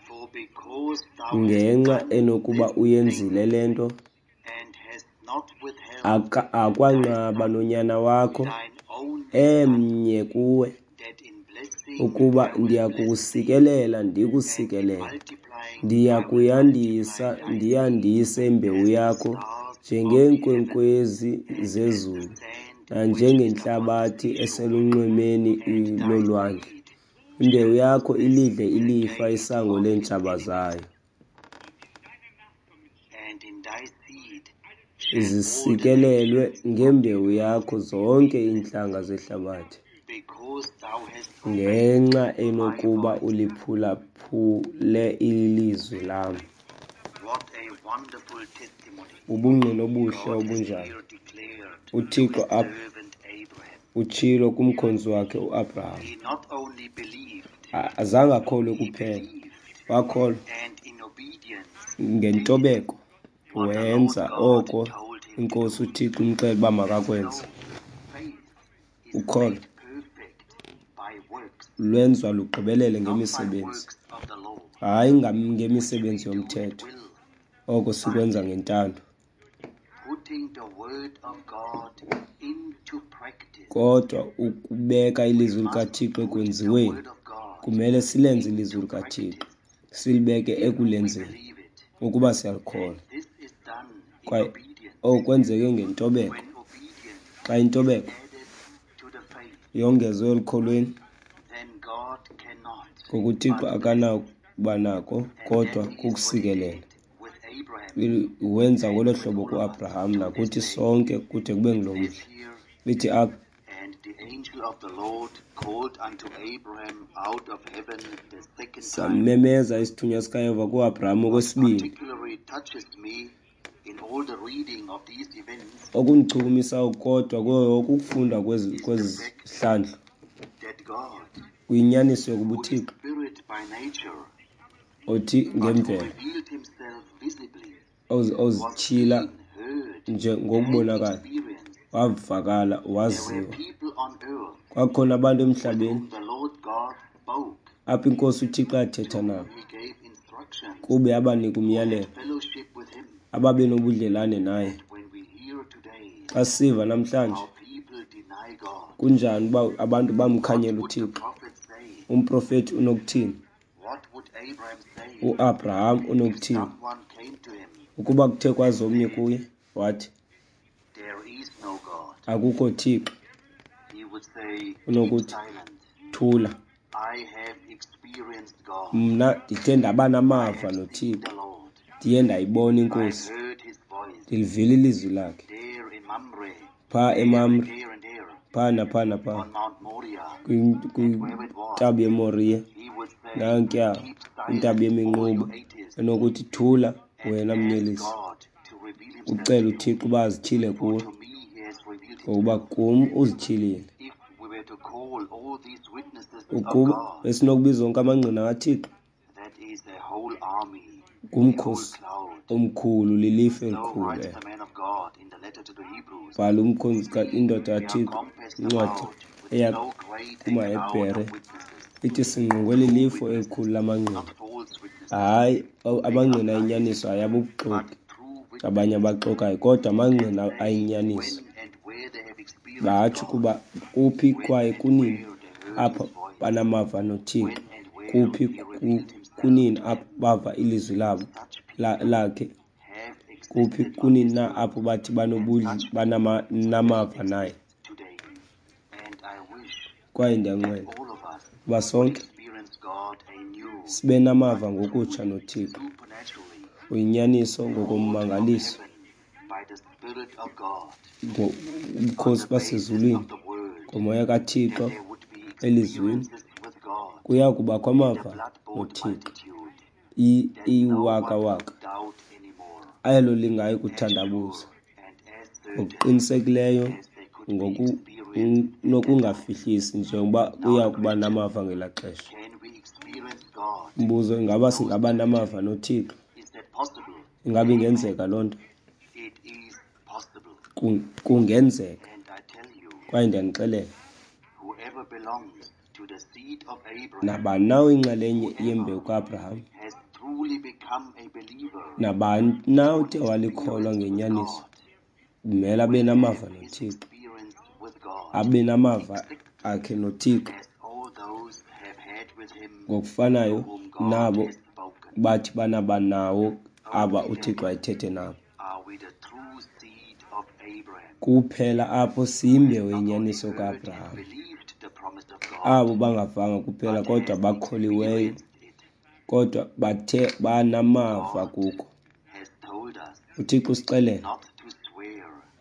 Speaker 1: for because thou hast
Speaker 2: ngenxa
Speaker 1: done
Speaker 2: enokuba
Speaker 1: this
Speaker 2: uyenzile
Speaker 1: thing,
Speaker 2: le nto,
Speaker 1: and hast not withheld
Speaker 2: aka-
Speaker 1: thy
Speaker 2: akwanqaba
Speaker 1: son,
Speaker 2: nonyana wakho
Speaker 1: thine only son,
Speaker 2: emnye kuwe,
Speaker 1: that in blessing
Speaker 2: ukuba
Speaker 1: I will bless thee,
Speaker 2: ndiyakukusikelela
Speaker 1: and in
Speaker 2: ndikusikelela,
Speaker 1: multiplying I will
Speaker 2: ndiyakuyandisa
Speaker 1: multiply thy seed
Speaker 2: ndiyandise imbewu
Speaker 1: as the
Speaker 2: yakho
Speaker 1: stars of the heaven,
Speaker 2: njengeenkwenkwezi
Speaker 1: and as the
Speaker 2: zezulu
Speaker 1: sand which is upon the
Speaker 2: nanjengentlabathi
Speaker 1: seashore.
Speaker 2: eselunxwemeni
Speaker 1: And thy
Speaker 2: lolwandle.
Speaker 1: seed
Speaker 2: Imbewu
Speaker 1: shall
Speaker 2: yakho
Speaker 1: possess
Speaker 2: ilidle
Speaker 1: the
Speaker 2: ilifa
Speaker 1: gate
Speaker 2: isango
Speaker 1: of his
Speaker 2: leentshaba
Speaker 1: enemies.
Speaker 2: zayo.
Speaker 1: And in thy seed shall all the
Speaker 2: Zisikelelwe
Speaker 1: nations of the
Speaker 2: ngembewu
Speaker 1: earth
Speaker 2: yakho
Speaker 1: be
Speaker 2: zonke
Speaker 1: blessed,
Speaker 2: iintlanga zehlabathi,
Speaker 1: because thou hast obeyed
Speaker 2: ngenxa
Speaker 1: my
Speaker 2: enokuba
Speaker 1: voice.
Speaker 2: uliphulaphule ilizwi lam.
Speaker 1: What a wonderful testimony
Speaker 2: Bubungqina obuhle
Speaker 1: God has
Speaker 2: obunjani!
Speaker 1: here declared to
Speaker 2: UThixo
Speaker 1: his
Speaker 2: apha
Speaker 1: servant Abraham.
Speaker 2: utshilo kumkhonzi wakhe uAbraham.
Speaker 1: He not only believed,
Speaker 2: A- Azange akholwe
Speaker 1: he
Speaker 2: kuphela,
Speaker 1: believed,
Speaker 2: wakholwa
Speaker 1: and in obedience did
Speaker 2: ngentobeko,
Speaker 1: what the Lord
Speaker 2: wenza
Speaker 1: God
Speaker 2: oko
Speaker 1: told him to
Speaker 2: iNkosi
Speaker 1: do.
Speaker 2: uThixo imxelela uba makakwenze.
Speaker 1: So faith is
Speaker 2: Ukholo
Speaker 1: made perfect by works,
Speaker 2: lwenziwa lugqibelele
Speaker 1: not by
Speaker 2: ngemisebenzi,
Speaker 1: works of the law,
Speaker 2: hayi ngam-
Speaker 1: which we
Speaker 2: ngemisebenzi
Speaker 1: do at
Speaker 2: yomthetho,
Speaker 1: will,
Speaker 2: oko
Speaker 1: but
Speaker 2: sikwenza ngentando,
Speaker 1: putting the word of God into practice.
Speaker 2: kodwa ukubeka
Speaker 1: We
Speaker 2: ilizwi
Speaker 1: must
Speaker 2: likaThixo
Speaker 1: put the
Speaker 2: ekwenziweni.
Speaker 1: word of God
Speaker 2: Kumele silenze ilizwi
Speaker 1: into
Speaker 2: likaThixo,
Speaker 1: practice
Speaker 2: silibeke
Speaker 1: if we
Speaker 2: ekulenzeni
Speaker 1: believe it.
Speaker 2: ukuba siyalikholwa.
Speaker 1: And this is done in
Speaker 2: Kwaye
Speaker 1: obedience.
Speaker 2: oku kwenzeke ngentobeko.
Speaker 1: When obedience
Speaker 2: Xa
Speaker 1: is
Speaker 2: intobeko
Speaker 1: added to the faith,
Speaker 2: yongezwe elukholweni,
Speaker 1: then God cannot
Speaker 2: ngokuThixo
Speaker 1: but bless.
Speaker 2: akanakuba nako
Speaker 1: And
Speaker 2: kodwa
Speaker 1: that is what he
Speaker 2: kukusikelela.
Speaker 1: did with Abraham
Speaker 2: Il- Wenza
Speaker 1: and
Speaker 2: ngolo
Speaker 1: with
Speaker 2: hlobo
Speaker 1: all of us
Speaker 2: kuAbraham
Speaker 1: to this
Speaker 2: nakuthi
Speaker 1: day.
Speaker 2: sonke kude kube
Speaker 1: It
Speaker 2: ngulo
Speaker 1: says
Speaker 2: mhla.
Speaker 1: here,
Speaker 2: Lithi apha,
Speaker 1: And the angel of the Lord called unto Abraham out of heaven the second time.
Speaker 2: Samemeza isithunywa sikaYehova kuAbraham
Speaker 1: What
Speaker 2: okwesibini.
Speaker 1: particularly touches me in all the reading of these events
Speaker 2: Okundichukumisa kodwa kuyo ukufunda kwezi
Speaker 1: is the
Speaker 2: kwezi
Speaker 1: fact
Speaker 2: zihlandlo
Speaker 1: that God,
Speaker 2: kuyinyaniso yokuba
Speaker 1: who is
Speaker 2: uThixo
Speaker 1: spirit by nature,
Speaker 2: othi
Speaker 1: but who
Speaker 2: ngemvelo
Speaker 1: revealed himself visibly,
Speaker 2: oz-
Speaker 1: was
Speaker 2: ozityhila
Speaker 1: seen, heard,
Speaker 2: nje
Speaker 1: and
Speaker 2: ngokubonakala,
Speaker 1: experienced.
Speaker 2: wavakala,
Speaker 1: There were
Speaker 2: waziwa.
Speaker 1: people on earth
Speaker 2: Kwakhona abantu
Speaker 1: with
Speaker 2: emhlabeni
Speaker 1: whom the Lord God spoke,
Speaker 2: apho iNkosi uThixo
Speaker 1: to
Speaker 2: athetha
Speaker 1: whom
Speaker 2: nabo,
Speaker 1: he gave instructions,
Speaker 2: kube abanika
Speaker 1: who had
Speaker 2: umyalelo,
Speaker 1: fellowship with him.
Speaker 2: ababe nobudlelane naye.
Speaker 1: And when we hear today
Speaker 2: Xa siva namhlanje
Speaker 1: how people deny God,
Speaker 2: kunjani uba abantu
Speaker 1: what
Speaker 2: bamkhanyela
Speaker 1: would the
Speaker 2: uThixo,
Speaker 1: prophet say?
Speaker 2: umprofethi unokuthini?
Speaker 1: What would Abraham say
Speaker 2: uAbraham
Speaker 1: if
Speaker 2: unokuthini?
Speaker 1: someone came to him
Speaker 2: Ukuba kuthe
Speaker 1: and
Speaker 2: kwaza omnye
Speaker 1: said,
Speaker 2: kuye wathi,
Speaker 1: There is no God?
Speaker 2: akukho Thixo,
Speaker 1: He would say, Keep
Speaker 2: unokuthi,
Speaker 1: silent.
Speaker 2: thula,
Speaker 1: I have experienced God.
Speaker 2: mna ndithe ndaba
Speaker 1: I
Speaker 2: namava
Speaker 1: have seen
Speaker 2: noThixo,
Speaker 1: the Lord.
Speaker 2: ndiye ndayibona
Speaker 1: I
Speaker 2: iNkosi,
Speaker 1: heard his voice
Speaker 2: ndilivile ilizwi lakhe
Speaker 1: there in Mamre,
Speaker 2: phaa
Speaker 1: there and
Speaker 2: eMamre,
Speaker 1: there and there,
Speaker 2: phaa naphaa naphaa
Speaker 1: on Mount Moriah,
Speaker 2: kwin-
Speaker 1: and wherever it was.
Speaker 2: kwintaba yeMoriya,
Speaker 1: He would say,
Speaker 2: nankuya
Speaker 1: Keep
Speaker 2: kwintaba
Speaker 1: silent, all you
Speaker 2: yeminquba,
Speaker 1: atheists,
Speaker 2: enokuthi thula
Speaker 1: and
Speaker 2: wena
Speaker 1: ask
Speaker 2: mnyelisi,
Speaker 1: God to reveal himself
Speaker 2: ucele
Speaker 1: to you.
Speaker 2: uThixo uba azityhile
Speaker 1: For
Speaker 2: kuwe,
Speaker 1: to me he has revealed
Speaker 2: ngokuba
Speaker 1: himself.
Speaker 2: kum uzityhilile.
Speaker 1: If we were to call all these witnesses of
Speaker 2: Ukuba
Speaker 1: God,
Speaker 2: besinokubiza onke amangqina kaThixo,
Speaker 1: that is a whole army.
Speaker 2: Ngumkhosi omkhulu, lilifu elikhulu elo. Bhala umkhonzi indoda kaThixo incwadi eya kumaHebhere ithi singqongwe lilifu elikhulu lamangqina. Hayi, amangqina ayinyaniso hayi abubuxoki abanye abaxokayo, kodwa amangqina ayinyaniso. Batsho ukuba kuphi kwaye kunini apho banamava noThixo, kuphi kunini apho bava ilizwi labo lakhe, kuphi kunini na apho bathi banamava naye. Kwaye ndiyanqwena uba sonke sibe namava ngokutsha noThixo, uyinyaniso ngokommangaliso, ubukhosi basezulwini ngomoya kaThixo elizwini. Kuya kubakho amava noThixo iwakawaka elo lingayi kuthandabuza ngokuqinisekileyo ngokunokungafihlisi njengoba kuya kuba namava ngelaa xesha. Umbuzo, ingaba singaba namava noThixo? Ingaba ingenzeka loo nto? Kungenzeka. Kwaye ndiyanixelela, nabani na oyinxalenye yembewu kaAbraham, nabani na othe walikholwa ngenyaniso, kumele abe namava noThixo, abe namava akhe noThixo ngokufanayo nabo bathi banaba nawo aba uThixo ayithethe nabo. Kuphela apho siyimbewu yenyaniso kaAbraham, abo bangavanga kuphela kodwa bakholiweyo, kodwa bathe banamava kuko. UThixo usixelela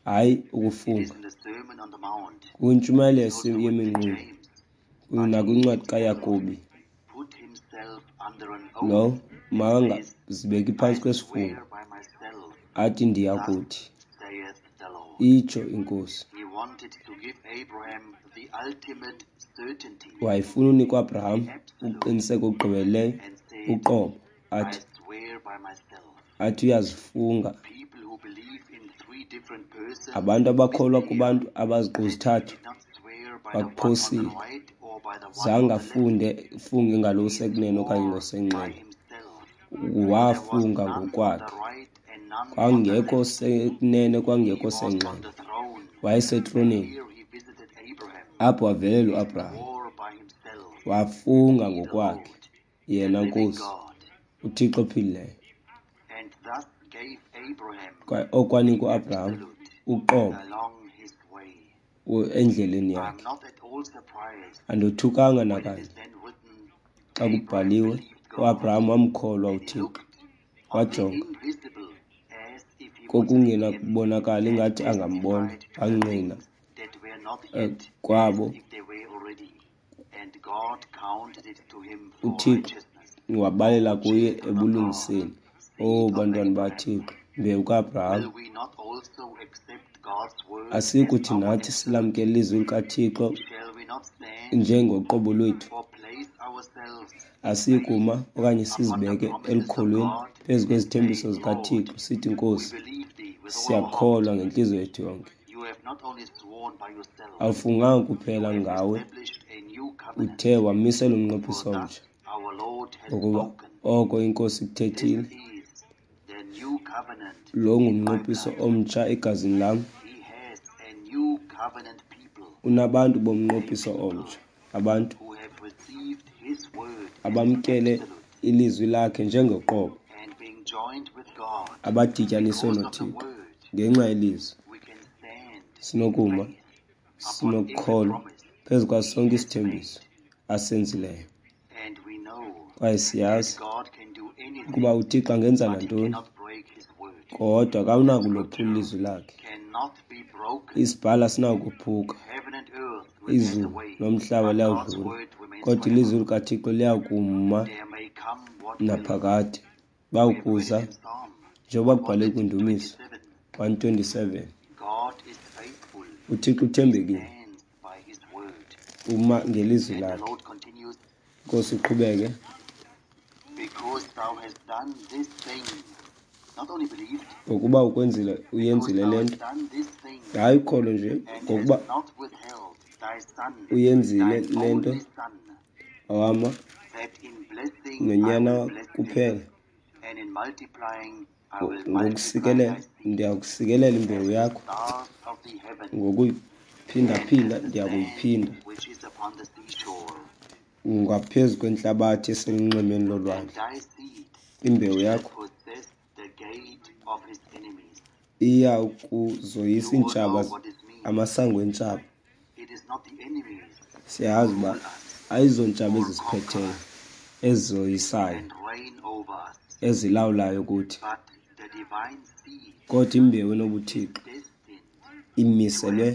Speaker 2: hayi ukufunga. Kwintshumayelo yeminqulo nakwincwadi kaYakobi, lo makangazibeki phantsi kwesifungo athi ndiyakuthi, itsho iNkosi. Wayefuna unika uAbraham ukuqiniseka okugqibeleleyo uqobo, athi athi uyazifunga. Abantu abakholwa kubantu abaziqu zithathu bakuphosile. Zange afunde funge ngalo usekunene okanye ngosenxele, wafunga ngokwakhe. Kwangekho sekunene, kwangekho senxele, wayesetroneni apho wavelela uAbraham, wafunga ngokwakhe yena Nkosi uThixo ophilileyo. Kwaye okwanika uAbraham uqobo endleleni yakhe. Andothukanga nakanye xa kubhaliwe uAbraham wamkholwa uThixo, wajonga kokungenakubonakala ingathi angambona, wangqina kwabo uThixo wabalela kuye ebulungiseni. Oh bantwana baThixo, mbewu kaAbraham, asikuthi nathi silamkele ilizwi likaThixo njengoqobo lwethu? Asikuma okanye sizibeke elukholweni phezu kwezithembiso zikaThixo sithi, Nkosi, siyakholwa ngentliziyo yethu yonke. Awufunganga kuphela ngawe, uthe wamisela umnqophiso omtsha, ngokuba oko iNkosi ikuthethile. Lo ngumnqophiso omtsha egazini lam. Unabantu bomnqophiso omtsha, abantu abamkele ilizwi lakhe njengoqobo, abadityaniswe noThixo ngenxa yelizwi. Sinokuma, sinokukholwa phezu kwaso sonke isithembiso asenzileyo. Kwaye siyazi ukuba uThixo angenza nantoni, kodwa akanakulophula ilizwi lakhe. Isibhalo asinakuphuka, izulu nomhlaba liyawudlula, kodwa ilizwi likaThixo liyakuma naphakade. Bawukuza njengoba kubhalwe kwiNdumiso one twenty-seven, uThixo uthembekile, uma ngelizwi lakhe. Nkosi iqhubeke. Ngokuba ukwenzile, uyenzile le nto. Hayi ukholo nje, ngokuba uyenzile le nto, awama nonyana kuphela. Ngokusikelela, ndiyakusikelela imbewu yakho. Ngokuyiphindaphinda, ndiyakuyiphinda ngaphezu kwentlabathi eselunxwemeni lolwandle. Imbewu yakho iya kuzoyisa iintshaba, amasango eentshaba. Siyazi uba ayizontshaba ezisiphetheyo, ezizoyisayo, ezilawulayo kuthi, kodwa imbewu enobuthixo imiselwe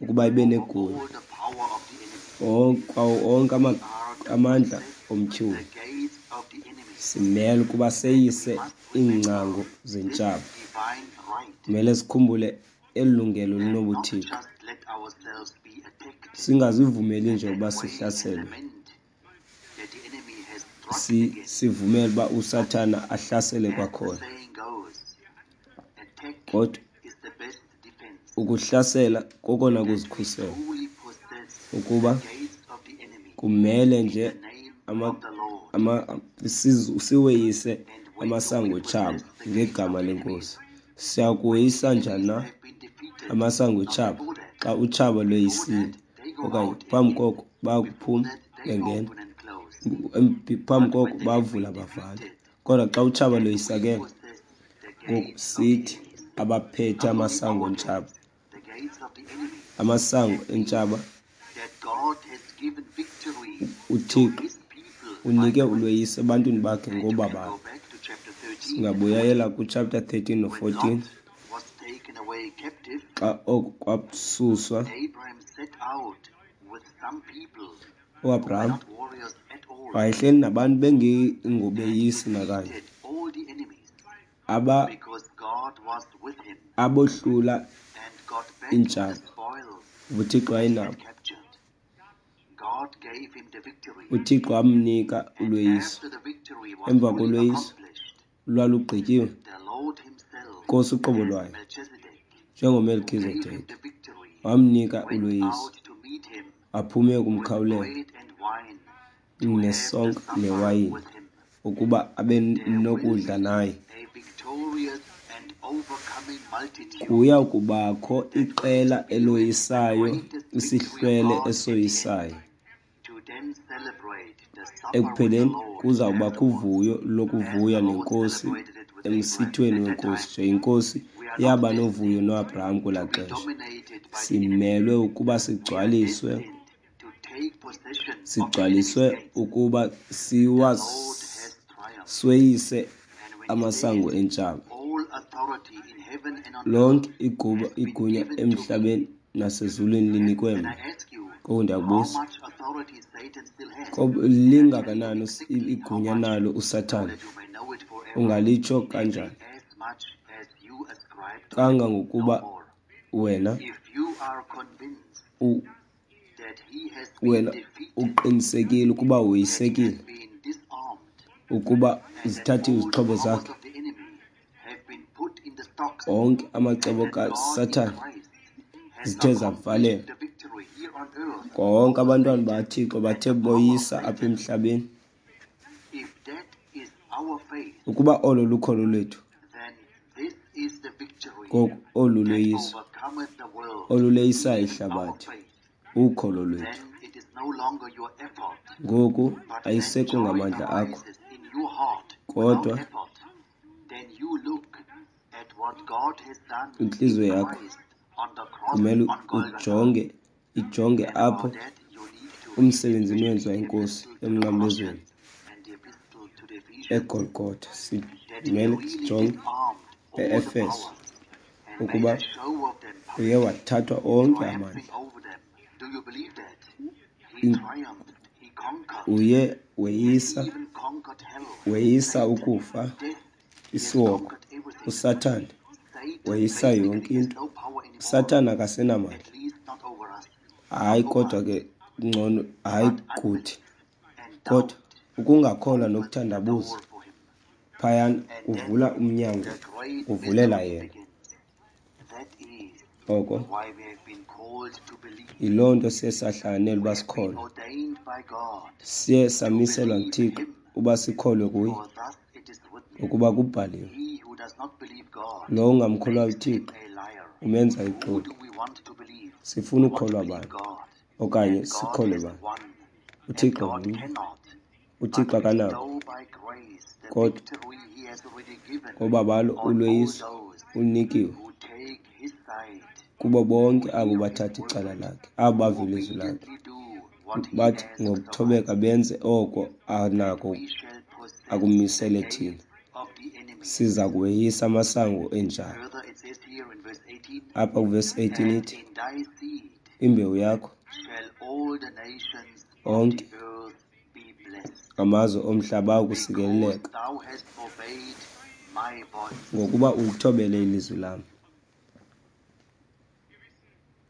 Speaker 2: ukuba ibe negunya onke amandla omtyholi. Simele ukuba seyise iingcango zentshaba. Kumele sikhumbule eli lungelo linobuthixo, singazivumeli nje ukuba sihlaselwe, sivumele uba uSathana ahlasele kwakhona. Kodwa ukuhlasela kokona kuzikhusela, ukuba kumele nje ama, ama, siweyise amasango etshaba ngegama leNkosi. Siyakuweyisa njani na amasango etshaba xa utshaba lweyisile? Okanye phambi koko bayakuphuma bengena, phambi koko bavula bavala. Kodwa xa utshaba lweyisakele, ngoku sithi abaphethe amasango entshaba, amasango entshaba, uThixo unike ulweyiso ebantwini bakhe ngobabalo. Singabuyela kuchapter thirteen no fourteen, xa oko kwasuswa uAbraham wayehleli nabantu bengengobeyisi nakanye, aba abohlula iintshaba, uThixo wayenabo. UThixo wamnika ulweyiso. Emva kolweyiso lwalugqityiwe, Nkosi uqobo lwayo njengoMelkizedeki wamnika ulweyiso, aphume kumkhawulela nesonka newayini ukuba abe nokudla naye. Kuya kubakho iqela eloyisayo, isihlwele esoyisayo. Ekupheleni kuza kubakho uvuyo lokuvuya nenkosi emsithweni wenkosi, njengenkosi yaba novuyo noAbraham kwelaa xesha. Simelwe ukuba sigcwaliswe, sigcwaliswe ukuba siwasweyise amasango entshaba. Lonke iguba igunya emhlabeni nasezulwini linikwe mna. Ngoku ndiyakubuza, lingakanani igunya nalo uSathana? Ungalitsho kanjani? Kangangokuba wena u, wena uqinisekile ukuba woyisekile, ukuba zithathiwe izixhobo zakhe, onke amacebo kaSathana zithe zavalelwa, konke abantwana bakaThixo bathe boyisa apha emhlabeni. Ukuba olo lukholo lwethu, ngoku olu lweyiso oluleyisayo ihlabathi, ukholo lwethu. Ngoku ayisekho ngamandla akho, kodwa intliziyo yakho kumele ujonge, ijonge apho umsebenzini wenziwa inkosi emnqamlezweni eGolgotha. Simele sijonge e-Efeso ukuba uye wathathwa onke amandla. Uye weyisa, weyisa ukufa, isihogo, uSathana weyisa yonke into. USathana akasenamandla. Hayi, kodwa ke ngcono, hayi kuthi, kodwa ukungakholwa nokuthandabuza Phayana
Speaker 1: And
Speaker 2: kuvula
Speaker 1: then
Speaker 2: umnyango,
Speaker 1: the great
Speaker 2: kuvulela
Speaker 1: mystery
Speaker 2: yena.
Speaker 1: begins. That is
Speaker 2: Oko
Speaker 1: why we have been called to believe.
Speaker 2: yiloo nto siye sahlanganela uba
Speaker 1: We have been
Speaker 2: sikholwe.
Speaker 1: ordained by God
Speaker 2: Siye
Speaker 1: to
Speaker 2: samiselwa
Speaker 1: believe
Speaker 2: nguThixo
Speaker 1: him.
Speaker 2: uba sikholwe kuye,
Speaker 1: For thus it is written,
Speaker 2: ngokuba kubhaliwe,
Speaker 1: he who does not believe God
Speaker 2: lowo ungamkholwayo
Speaker 1: makes him
Speaker 2: uThixo
Speaker 1: a liar.
Speaker 2: umenza
Speaker 1: Who
Speaker 2: ixoki.
Speaker 1: do we want to believe?
Speaker 2: Sifuna
Speaker 1: We want to
Speaker 2: ukukholwa
Speaker 1: believe
Speaker 2: bani
Speaker 1: God.
Speaker 2: okanye
Speaker 1: And God
Speaker 2: sikholwe
Speaker 1: is
Speaker 2: bani?
Speaker 1: one. And
Speaker 2: uThixo
Speaker 1: God
Speaker 2: mnye,
Speaker 1: cannot but
Speaker 2: uThixo akanako,
Speaker 1: bestow by grace the
Speaker 2: kodwa
Speaker 1: victory he has already given
Speaker 2: ngobabalo
Speaker 1: on all
Speaker 2: ulweyiso
Speaker 1: those
Speaker 2: ulunikiwe
Speaker 1: who take his side,
Speaker 2: kubo
Speaker 1: who
Speaker 2: bonke abo
Speaker 1: hear his
Speaker 2: bathatha icala
Speaker 1: word,
Speaker 2: lakhe, abo
Speaker 1: who
Speaker 2: bava ilizwi lakhe,
Speaker 1: obediently do what he
Speaker 2: bathi
Speaker 1: asks of us.
Speaker 2: ngokuthobeka benze oko
Speaker 1: And
Speaker 2: anako
Speaker 1: we shall possess the
Speaker 2: akumisele thina.
Speaker 1: gates of the enemy.
Speaker 2: Siza kuweyisa amasango entshaba.
Speaker 1: Further, it says here in verse eighteen,
Speaker 2: Apha kuvesi eighteen
Speaker 1: and
Speaker 2: ithi,
Speaker 1: in thy seed
Speaker 2: imbewu yakho
Speaker 1: shall all the nations of
Speaker 2: onke
Speaker 1: the earth be blessed,
Speaker 2: amazwe omhlaba
Speaker 1: because
Speaker 2: akusikeleleka,
Speaker 1: thou hast obeyed my voice.
Speaker 2: ngokuba ulithobele ilizwi lam.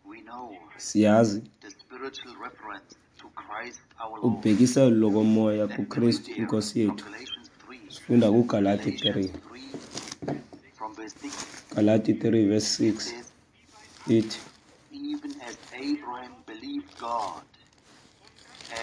Speaker 1: We know
Speaker 2: Siyazi
Speaker 1: the spiritual reference to Christ our Lord
Speaker 2: ubhekiselo lokomoya
Speaker 1: that we read
Speaker 2: kuKristu
Speaker 1: here
Speaker 2: iNkosi
Speaker 1: from
Speaker 2: yethu.
Speaker 1: Galatians three.
Speaker 2: Sifunda kuGalati three.
Speaker 1: Galatians three from verse six.
Speaker 2: Galati three verse
Speaker 1: It
Speaker 2: six
Speaker 1: says,
Speaker 2: ithi,
Speaker 1: even as Abraham believed God,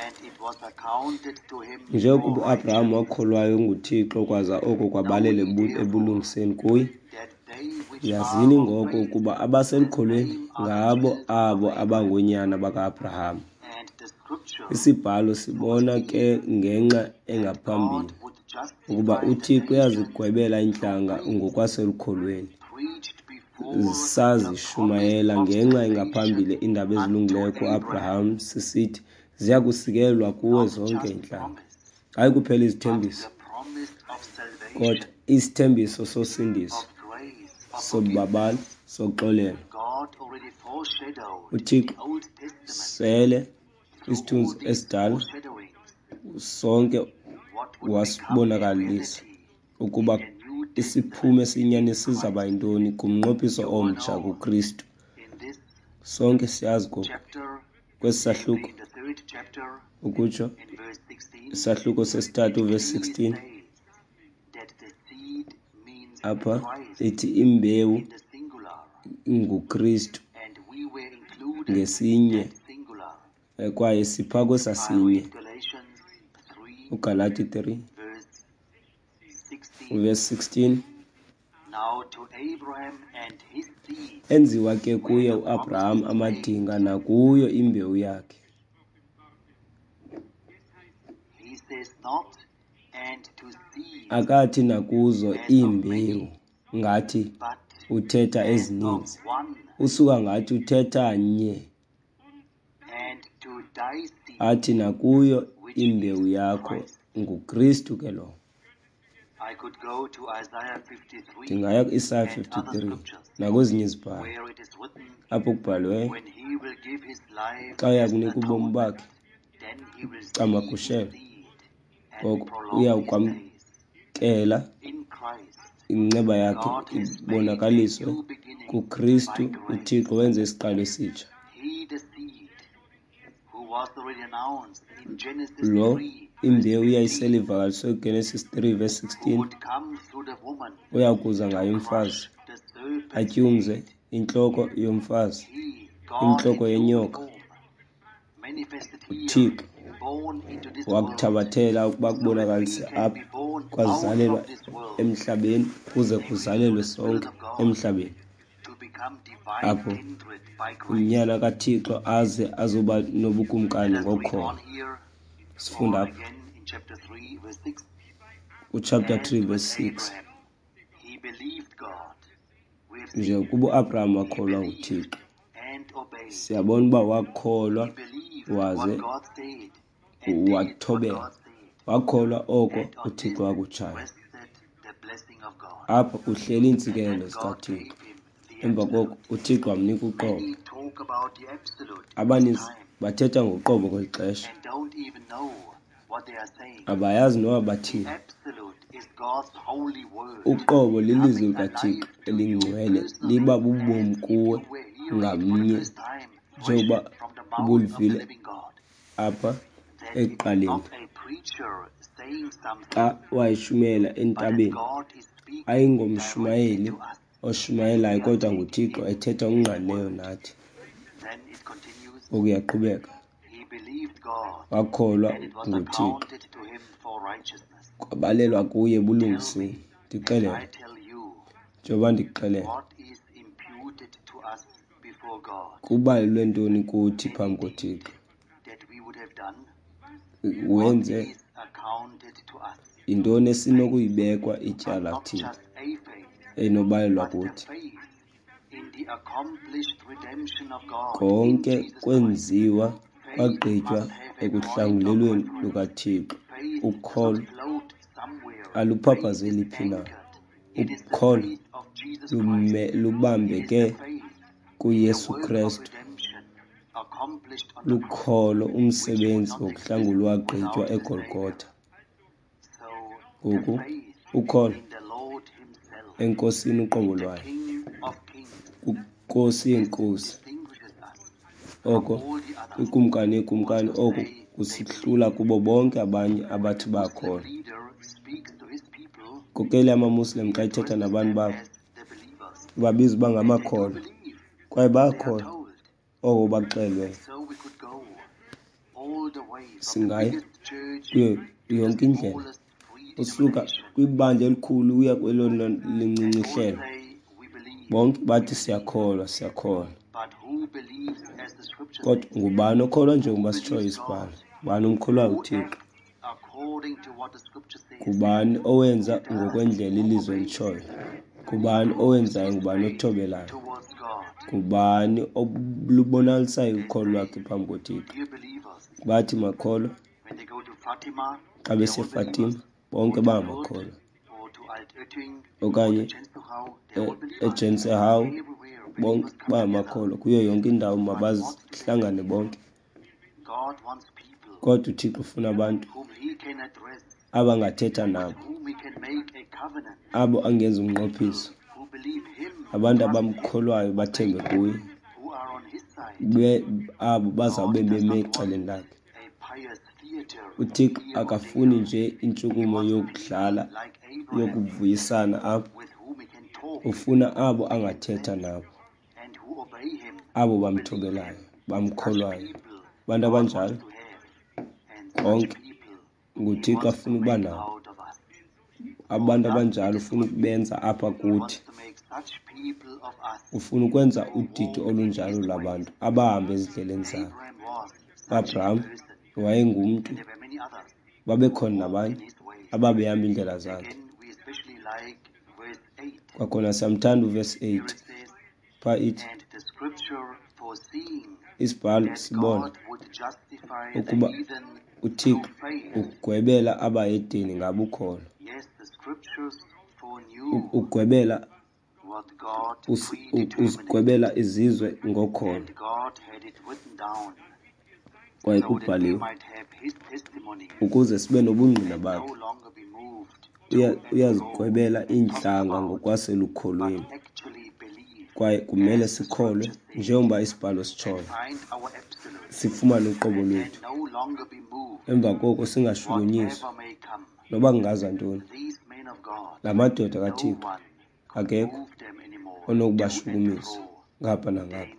Speaker 1: and it was accounted to him for
Speaker 2: njengokuba uAbraham
Speaker 1: righteousness.
Speaker 2: wakholwayo nguThixo, kwaza oko
Speaker 1: Know
Speaker 2: kwabalelwa
Speaker 1: ye
Speaker 2: ebu-
Speaker 1: therefore
Speaker 2: ebulungiseni kuye.
Speaker 1: that they which are
Speaker 2: Yazini
Speaker 1: of
Speaker 2: ngoko
Speaker 1: faith,
Speaker 2: ukuba
Speaker 1: the
Speaker 2: abaselukholweni
Speaker 1: same are the
Speaker 2: ngabo
Speaker 1: children of
Speaker 2: abo
Speaker 1: Abraham.
Speaker 2: abangoonyana baka-Abraham.
Speaker 1: And the scripture
Speaker 2: Isibhalo sibona ke
Speaker 1: foreseeing
Speaker 2: ngenxa
Speaker 1: that God
Speaker 2: engaphambili
Speaker 1: would
Speaker 2: ukuba
Speaker 1: justify the
Speaker 2: uThixo
Speaker 1: nations
Speaker 2: uyazigwebela
Speaker 1: through
Speaker 2: iintlanga
Speaker 1: faith,
Speaker 2: ngokwaselukholweni.
Speaker 1: preached before the promise
Speaker 2: Sazishumayela
Speaker 1: of
Speaker 2: ngenxa
Speaker 1: salvation
Speaker 2: engaphambili iindaba
Speaker 1: unto
Speaker 2: ezilungileyo
Speaker 1: Abraham.
Speaker 2: kuAbraham, sisithi ziya kusikelelwa kuwe
Speaker 1: Not
Speaker 2: zonke
Speaker 1: just
Speaker 2: iintlanga.
Speaker 1: promise,
Speaker 2: Hayi kuphela
Speaker 1: but
Speaker 2: izithembiso,
Speaker 1: the promise of
Speaker 2: kodwa
Speaker 1: salvation,
Speaker 2: isithembiso sosindiso,
Speaker 1: of grace, of
Speaker 2: sobabalo,
Speaker 1: forgiveness.
Speaker 2: soxolelo.
Speaker 1: God already foreshadowed in the
Speaker 2: uThixo
Speaker 1: Old Testament
Speaker 2: sele
Speaker 1: through all
Speaker 2: isithunzi
Speaker 1: these
Speaker 2: esidala
Speaker 1: foreshadowings
Speaker 2: sonke
Speaker 1: what would become a
Speaker 2: wasibonakalisa
Speaker 1: reality in
Speaker 2: ukuba
Speaker 1: the New
Speaker 2: isiphumo
Speaker 1: Testament
Speaker 2: esiyinyani
Speaker 1: in
Speaker 2: sizaba
Speaker 1: Christ.
Speaker 2: yintoni kumnqophiso
Speaker 1: You all
Speaker 2: omtsha
Speaker 1: know
Speaker 2: kuKristu.
Speaker 1: in this
Speaker 2: Sonke siyazi ngoku
Speaker 1: chapter,
Speaker 2: kwesi
Speaker 1: namely
Speaker 2: sahluko,
Speaker 1: in the third chapter,
Speaker 2: ukutsho
Speaker 1: in verse sixteen,
Speaker 2: isahluko sesithathu
Speaker 1: it
Speaker 2: verse
Speaker 1: clearly
Speaker 2: sixteen,
Speaker 1: states that the seed means
Speaker 2: apha
Speaker 1: Christ
Speaker 2: ithi imbewu
Speaker 1: in the singular,
Speaker 2: nguKristu
Speaker 1: and we were included in
Speaker 2: ngesinye,
Speaker 1: that singular.
Speaker 2: eh, kwaye sipha
Speaker 1: If I
Speaker 2: kwesasinye.
Speaker 1: read Galatians three,
Speaker 2: uGalati three
Speaker 1: verse sixteen,
Speaker 2: verse sixteen,
Speaker 1: now to Abraham and his seed
Speaker 2: enziwa ke
Speaker 1: were
Speaker 2: kuye
Speaker 1: the
Speaker 2: uAbraham
Speaker 1: promises made.
Speaker 2: amadinga nakuyo imbewu yakhe.
Speaker 1: He says not, and to seeds
Speaker 2: Akathi nakuzo
Speaker 1: as of
Speaker 2: iimbewu
Speaker 1: many,
Speaker 2: ngathi
Speaker 1: but
Speaker 2: uthetha
Speaker 1: as of
Speaker 2: ezininzi,
Speaker 1: one,
Speaker 2: usuka ngathi uthetha nye,
Speaker 1: and to thy seed,
Speaker 2: athi nakuyo
Speaker 1: which
Speaker 2: imbewu
Speaker 1: is
Speaker 2: yakho,
Speaker 1: Christ.
Speaker 2: nguKristu ke lowo.
Speaker 1: I could go to Isaiah fifty-three
Speaker 2: Ndingaya kuIsaya
Speaker 1: and other
Speaker 2: fifty-three
Speaker 1: scriptures
Speaker 2: nakwezinye izibhalo
Speaker 1: where it is written,
Speaker 2: apho kubhaliweyo,
Speaker 1: when he will give his life
Speaker 2: xa uya
Speaker 1: as
Speaker 2: kunika ubomi
Speaker 1: atonement,
Speaker 2: bakhe
Speaker 1: then he will see his
Speaker 2: camagushelo,
Speaker 1: seed and
Speaker 2: ngoko
Speaker 1: prolong
Speaker 2: uya
Speaker 1: his days.
Speaker 2: kwamkela
Speaker 1: In Christ,
Speaker 2: inceba yakhe
Speaker 1: God has made a
Speaker 2: ibonakaliswe
Speaker 1: new beginning by
Speaker 2: kuKristu.
Speaker 1: grace.
Speaker 2: UThixo wenze isiqalo esitsha.
Speaker 1: He, the seed, who was already announced in Genesis
Speaker 2: Lo
Speaker 1: three, verse
Speaker 2: imbewu yayisele
Speaker 1: fifteen,
Speaker 2: ivakaliswe kuGenesis three verse
Speaker 1: who
Speaker 2: sixteen,
Speaker 1: would come through the woman
Speaker 2: uya kuza
Speaker 1: to
Speaker 2: ngaye umfazi
Speaker 1: crush the serpent's
Speaker 2: atyumze
Speaker 1: head.
Speaker 2: intloko yomfazi,
Speaker 1: He, God in
Speaker 2: intloko
Speaker 1: human
Speaker 2: yenyoka.
Speaker 1: form, manifested here,
Speaker 2: UThixo
Speaker 1: born into this world,
Speaker 2: wakuthabathela ukuba
Speaker 1: so that we
Speaker 2: kubonakalise
Speaker 1: can
Speaker 2: apha
Speaker 1: be born out
Speaker 2: kwazalelwa
Speaker 1: of this world,
Speaker 2: emhlabeni kuze
Speaker 1: namely through
Speaker 2: kuzalelwe
Speaker 1: the Spirit
Speaker 2: sonke
Speaker 1: of God,
Speaker 2: emhlabeni,
Speaker 1: to become divine
Speaker 2: apho
Speaker 1: kindred by grace.
Speaker 2: unyana kaThixo aze azoba nobukumkani
Speaker 1: Let us read
Speaker 2: ngokholo.
Speaker 1: on here,
Speaker 2: Sifunda
Speaker 1: or
Speaker 2: apha
Speaker 1: again in chapter three, verse six.
Speaker 2: kuchapter
Speaker 1: As
Speaker 2: three
Speaker 1: with
Speaker 2: verse six,
Speaker 1: Abraham, he believed God. We have seen
Speaker 2: njengokuba uAbraham
Speaker 1: he
Speaker 2: wakholwa
Speaker 1: believed
Speaker 2: nguThixo,
Speaker 1: and obeyed.
Speaker 2: siyabona uba wakholwa
Speaker 1: He believed what
Speaker 2: waze
Speaker 1: God said and did what
Speaker 2: wathobela,
Speaker 1: God said.
Speaker 2: wakholwa oko
Speaker 1: And on
Speaker 2: uThixo
Speaker 1: this
Speaker 2: wakutshayo.
Speaker 1: rested the blessing of God.
Speaker 2: Apha kuhleli
Speaker 1: And
Speaker 2: iintsikelelo
Speaker 1: then God
Speaker 2: zikaThixo.
Speaker 1: gave him the
Speaker 2: Emva koko
Speaker 1: absolute.
Speaker 2: uThixo wamnika uqobo.
Speaker 1: Many talk about the absolute in this
Speaker 2: Abaninzi
Speaker 1: time
Speaker 2: bathetha ngoqobo kweli xesha,
Speaker 1: and don't even know what they are saying.
Speaker 2: abayazi noba
Speaker 1: The
Speaker 2: bathini.
Speaker 1: absolute is God's holy word
Speaker 2: Uqobo lilizwi
Speaker 1: coming
Speaker 2: likaThixo
Speaker 1: alive to you
Speaker 2: elingcwele,
Speaker 1: personally
Speaker 2: liba bubomi
Speaker 1: as if
Speaker 2: kuwe
Speaker 1: you were hearing it for the
Speaker 2: ngamnye,
Speaker 1: first time, fresh
Speaker 2: njengoba
Speaker 1: from the mouth of the
Speaker 2: ubulivile
Speaker 1: living God.
Speaker 2: apha
Speaker 1: That it is
Speaker 2: ekuqaleni.
Speaker 1: not a preacher
Speaker 2: Xa wayeshumayela entabeni, ayingomshumayeli oshumayelayo kodwa nguThixo ethetha ngokungqalileyo nathi. Ngoku uyaqhubeka. Wakholwa nguThixo, kwabalelwa kuye ebulungiseni. Ndixelele, njengoba ndikuxelela, kubalelwe ntoni kuthi phambi koThixo? Wenze yintoni esinokuyibekwa ityala thina enobalelwa kuthi? Konke kwenziwa kwagqitywa ekuhlangulelweni lukaThixo. Ukholo aluphaphazeli phi na. Ukholo lubambeke kuYesu Krestu. Lukholo umsebenzi wokuhlangulwa wagqitywa eGolgotha. Ngoku ukholo eNkosini uqobo lwayo, kwiNkosi yeenkosi, oko kwiKumkani yeekumkani, oko kusihlula kubo bonke abanye abathi bakholwa. Inkokeli yamaMuslim xa ithetha nabantu babo ibabiza uba ngamakholwa, kwaye bayakholwa oko bakuxelelweyo. Singaya kuyo yonke indlela usuka kwibandla elikhulu uya kwelona lincinci ihlelo. Bonke bathi siyakholwa, siyakholwa. Kodwa ngubani okholwa njengoba sitshoyo isibhalo? Ngubani omkholwayo uThixo? Ngubani owenza ngokwendlela ilizwi elitshoyo? Ngubani owenzayo? Ngubani othobelayo? Ngubani olubonakalisayo ukholo lwakhe phambi koThixo? Bathi makholwa xa beseFatima, bonke bangamakholwa, okanye eJensehawu, bonke bangamakholwa. Kuyo yonke indawo mabazihlangane bonke. Kodwa uThixo ufuna abantu abangathetha nabo, abo angenza umnqophiso, abantu abamkholwayo bathembe kuye, abo bazawube beme ecaleni lakhe. UThixo akafuni nje intshukumo yokudlala yokuvuyisana apho. Ufuna abo angathetha nabo, abo bamthobelayo, bamkholwayo. Abantu abanjalo konke nguThixo afuna ukuba nabo. Abantu abanjalo ufuna ukubenza apha kuthi. Ufuna ukwenza udidi olunjalo lwabantu abahamba ezindleleni zakhe. UAbraham wayengumntu, babekhona nabanye ababehamba iindlela zakhe. Kwakhona siyamthanda uvesi eight. Phaa ithi, isibhalo sibona ukuba uThixo ugwebela abahedeni ngabukholo. Ugwebela uzigwebela izizwe ngokholo. Kwaye kubhaliwe ukuze sibe nobungqina bakhe. Uyazigwebela iintlanga ngokwaselukholweni. Kwaye kumele sikholwe njengoba isibhalo sitshoyo, sifumane uqobo lwethu. Emva koko singashukunyiswa noba kungaza ntoni. La madoda kaThixo akekho onokubashukumisa ngapha nangapha.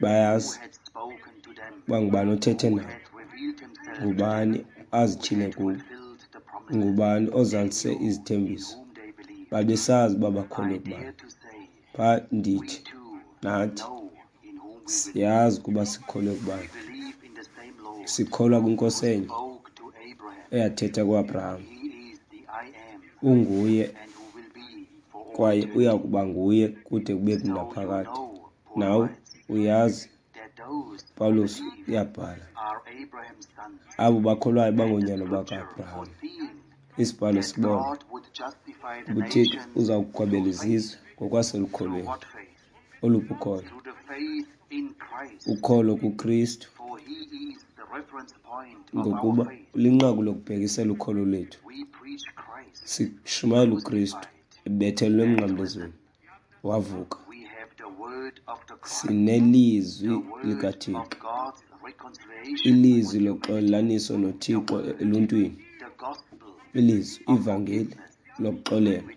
Speaker 2: Bayazi uba ngubani othethe nabo, ngubani azityhile kubo, ngubani ozalise izithembiso. Babesazi uba bakholwe kubani. Phaa ndithi nathi siyazi ukuba sikholwe kubani. Sikholwa kwiNkosi enye eyathetha kuAbraham. Unguye kwaye uya kuba nguye kude kube naphakade. Nawe uyazi, Pawulos uyabhala, abo bakholwayo bangoonyana baka-Abraham. Isibhalo sibona uThixo uza kugwebela izizwe ngokwaselukholweni. Oluphi ukholo? Ukholo kuKristu, ngokuba linqaku lokubhekisela ukholo lwethu. Sishumayela uKristu ebethelelwe emnqamlezweni, wavuka. Sinelizwi likaThixo, ilizwi loxolelaniso noThixo eluntwini, Ilizwi, ivangeli lokuxolelwa.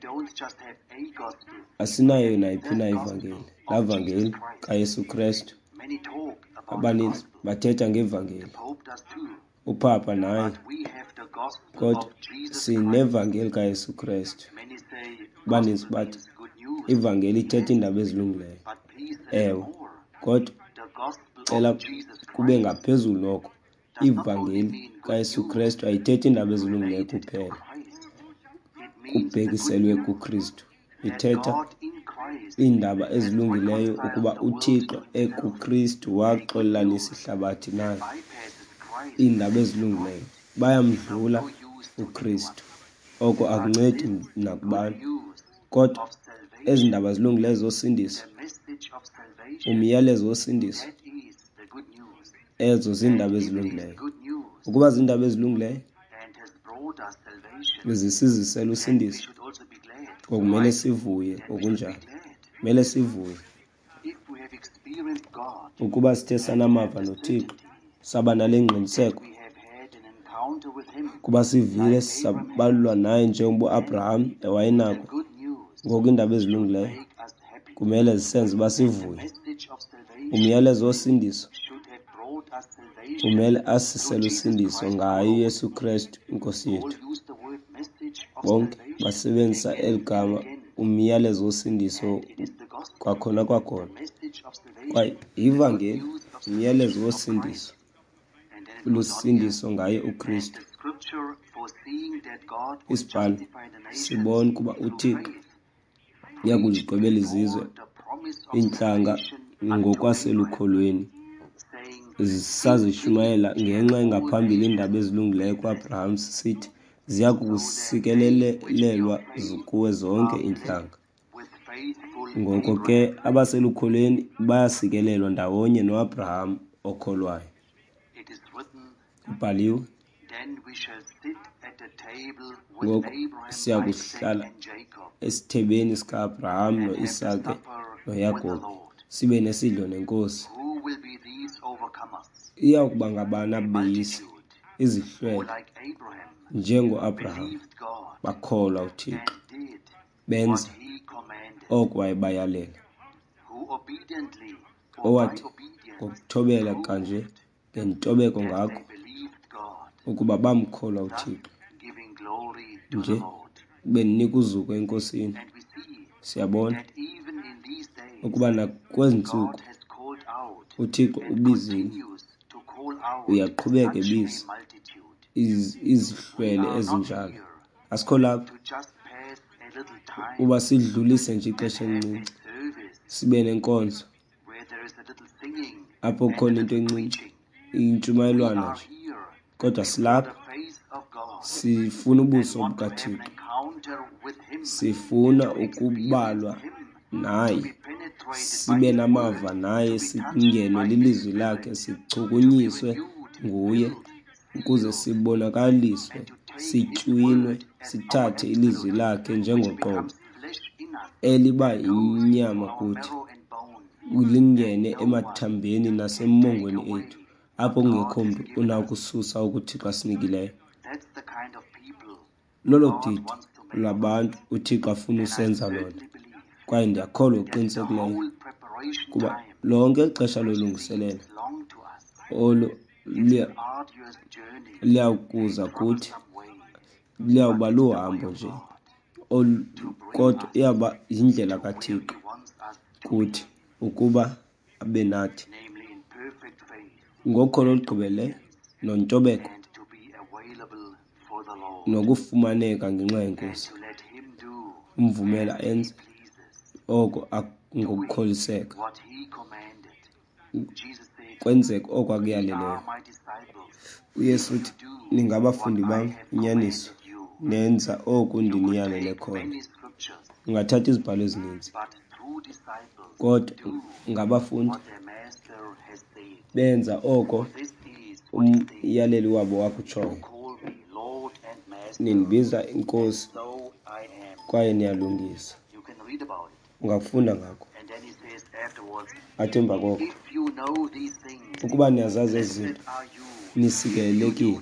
Speaker 2: Asinayo nayiphi na ivangeli, laa vangeli kaYesu Krestu. Abaninzi bathetha ngevangeli, uPapa naye, kodwa sinevangeli kaYesu Krestu. Abaninzi bathi ivangeli ithetha iindaba ezilungileyo. Ewe, kodwa cela kube ngaphezulu noko. Ivangeli kaYesu Krestu ayithethi iindaba ezilungileyo kuphela, kubhekiselwe kuKristu. Ithetha iindaba ezilungileyo ukuba uThixo ekuKristu waxolelanisa ihlabathi naye. Iindaba ezilungileyo bayamdlula uKristu, oko akuncedi nakubani. Kodwa ezi ndaba zilungileyo zosindiso, umyalezo wosindiso, ezo ziindaba ezilungileyo. Ukuba ziindaba ezilungileyo zisizisela usindiso, ngokumele sivuye ngokunjalo. Kumele sivuye ukuba sithe sanamava noThixo, saba nale ngqiniseko kuba sivile sabalwa naye njengoba uAbraham wayenako. Ngoku iindaba ezilungileyo kumele zisenze uba sivuye. Umyalezo wosindiso umele asisele usindiso ngaye uYesu Krestu iNkosi yethu. Bonke basebenzisa eli gama umyalezo wosindiso kwakhona kwakhona. Kwaye yivangeli, umyalezo wosindiso, lusindiso ngaye uKristu. Isibhalo sibona ukuba uThixo uya kuzigqibela izizwe, iintlanga ngokwaselukholweni. Sazishumayela ngenxa engaphambili iindaba ezilungileyo kuAbraham sisithi, ziya kusikelelelwa kuwe zonke iintlanga. Ngoko ke abaselukholweni bayasikelelwa ndawonye noAbraham okholwayo. Kubhaliwe, ngoku siya kuhlala esithebeni sika-Abraham noIsake noYakobi, sibe nesidlo neNkosi. Iya kuba ngabani abeyisi, izihlwele, njengoAbraham, bakholwa uThixo, benza oko wayebayalela, owathi ngokuthobela kanje ngentobeko ngako ukuba bamkholwa uThixo, nje beninika uzuko eNkosini. Siyabona ukuba nakwezi ntsuku uThixo ubizile, uyaqhubeka ebiza izihlwele ezinjalo. Asikho lapha uba sidlulise nje ixesha elincinci, sibe nenkonzo apho kukhona into encinci, intshumayelwana nje, kodwa silapha sifuna ubuso bukaThixo, sifuna ukubalwa naye, sibe namava naye, singenwe lilizwi lakhe, sichukunyiswe nguye ukuze sibonakaliswe, sitywinwe, sithathe ilizwi lakhe njengoqobo eliba yinyama kuthi, lingene emathambeni nasemongweni ethu, apho kungekho mntu unakususa okuThixo asinikileyo. Lolo didi lwabantu uThixo afuna usenza lona. Kwaye ndiyakholwa ngokuqinisekileyo kuba lonke ixesha lolungiselelo olu liya kuza kuthi, liyawuba luhambo nje, kodwa iyawuba yindlela kaThixo kuthi ukuba abe nathi ngokholo olugqibeleleyo nontobeko nokufumaneka ngenxa yeNkosi, umvumela enze oko ngokukholiseka, kwenzeke oko akuyaleleyo. UYesu uthi, ningabafundi bam, inyaniso, nenza oku ndiniyalele khona. Ungathatha izibhalo ezininzi, kodwa ngabafundi benza oko umyaleli wabo wakutshoyo. Nindibiza iNkosi kwaye niyalungisa. Ungakufunda ngako. Athi emva koko, ukuba niyazazi ezi zinto, nisikelelekile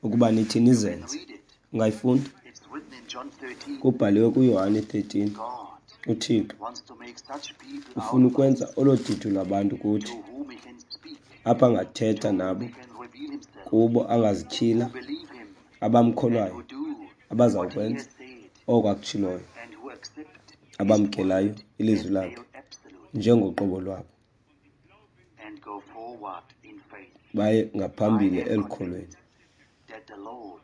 Speaker 2: ukuba nithi nizenze. Ungayifunda?
Speaker 1: It's written in John thirteen.
Speaker 2: Kubhaliwe kuYohane thirteen.
Speaker 1: God
Speaker 2: uThixo
Speaker 1: wants to make such people
Speaker 2: ufuna
Speaker 1: out of
Speaker 2: ukwenza
Speaker 1: us
Speaker 2: olo didi lwabantu kuthi,
Speaker 1: to whom he can speak,
Speaker 2: apha angathetha
Speaker 1: to whom
Speaker 2: nabo,
Speaker 1: he can reveal himself,
Speaker 2: kubo angazityhila,
Speaker 1: who believe him, and
Speaker 2: abamkholwayo,
Speaker 1: who do what he
Speaker 2: abazawukwenza
Speaker 1: has said,
Speaker 2: oko akutshiloyo,
Speaker 1: and who accept his
Speaker 2: abamkelayo
Speaker 1: word
Speaker 2: ilizwi
Speaker 1: as
Speaker 2: lakhe
Speaker 1: their absolute,
Speaker 2: njengoqobo lwabo,
Speaker 1: and go forward in faith.
Speaker 2: baye
Speaker 1: I
Speaker 2: ngaphambili
Speaker 1: am
Speaker 2: elukholweni.
Speaker 1: convinced that the Lord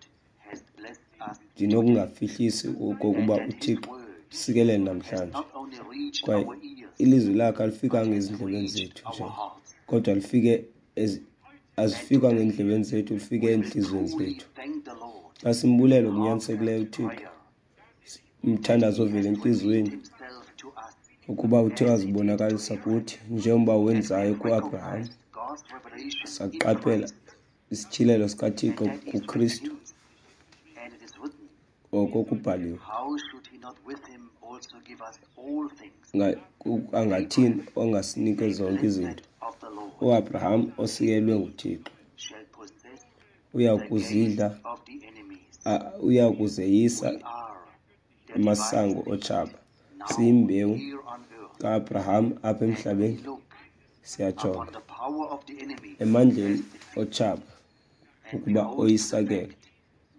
Speaker 1: has blessed us today,
Speaker 2: Ndinokungafihlisi
Speaker 1: and
Speaker 2: okokuba
Speaker 1: that his
Speaker 2: uThixo
Speaker 1: word
Speaker 2: usikelele
Speaker 1: has
Speaker 2: namhlanje,
Speaker 1: not only reached
Speaker 2: kwaye
Speaker 1: our ears,
Speaker 2: ilizwi lakhe alifikanga
Speaker 1: but has
Speaker 2: ezindlebeni
Speaker 1: reached
Speaker 2: zethu nje,
Speaker 1: our hearts.
Speaker 2: kodwa lifike ezi-,
Speaker 1: And
Speaker 2: azifikanga
Speaker 1: today
Speaker 2: endlebeni zethu, lifike
Speaker 1: we will
Speaker 2: entliziyweni
Speaker 1: truly
Speaker 2: zethu.
Speaker 1: thank the Lord
Speaker 2: Xa simbulela
Speaker 1: in
Speaker 2: ngokunyanisileyo
Speaker 1: heartfelt
Speaker 2: uThixo,
Speaker 1: prayer
Speaker 2: umthandazo
Speaker 1: that he
Speaker 2: ovela
Speaker 1: has revealed
Speaker 2: entliziyweni,
Speaker 1: himself to us
Speaker 2: ukuba uthe
Speaker 1: as he did to
Speaker 2: wazibonakalisa
Speaker 1: Abraham.
Speaker 2: kuthi njengoba
Speaker 1: And we
Speaker 2: wenzayo
Speaker 1: have
Speaker 2: kuAbraham.
Speaker 1: recognized God's revelation in
Speaker 2: Saqaphela
Speaker 1: Christ,
Speaker 2: isityhilelo
Speaker 1: and
Speaker 2: sikaThixo
Speaker 1: that is written
Speaker 2: kuKristu,
Speaker 1: hymns. And it is written,
Speaker 2: oko kubhaliwe.
Speaker 1: how should he not with him also give us all things?
Speaker 2: Nga-, ku-, angathini
Speaker 1: Abraham,
Speaker 2: ongasinike
Speaker 1: a
Speaker 2: zonke izinto?
Speaker 1: blessed of the Lord,
Speaker 2: uAbraham osikelwe nguThixo
Speaker 1: shall possess
Speaker 2: uya
Speaker 1: the gates
Speaker 2: kuzidla,
Speaker 1: of the enemies.
Speaker 2: a-, uya kuzeyisa
Speaker 1: We are the divine
Speaker 2: amasango
Speaker 1: seed
Speaker 2: otshaba.
Speaker 1: now
Speaker 2: Siyimbewu
Speaker 1: here on earth,
Speaker 2: kaAbraham apha
Speaker 1: and we
Speaker 2: emhlabeni,
Speaker 1: look upon
Speaker 2: siyajonga
Speaker 1: the power of the enemy
Speaker 2: emandleni
Speaker 1: as defeat,
Speaker 2: otshaba
Speaker 1: and we
Speaker 2: ukuba
Speaker 1: hold to the
Speaker 2: oyisakele.
Speaker 1: fact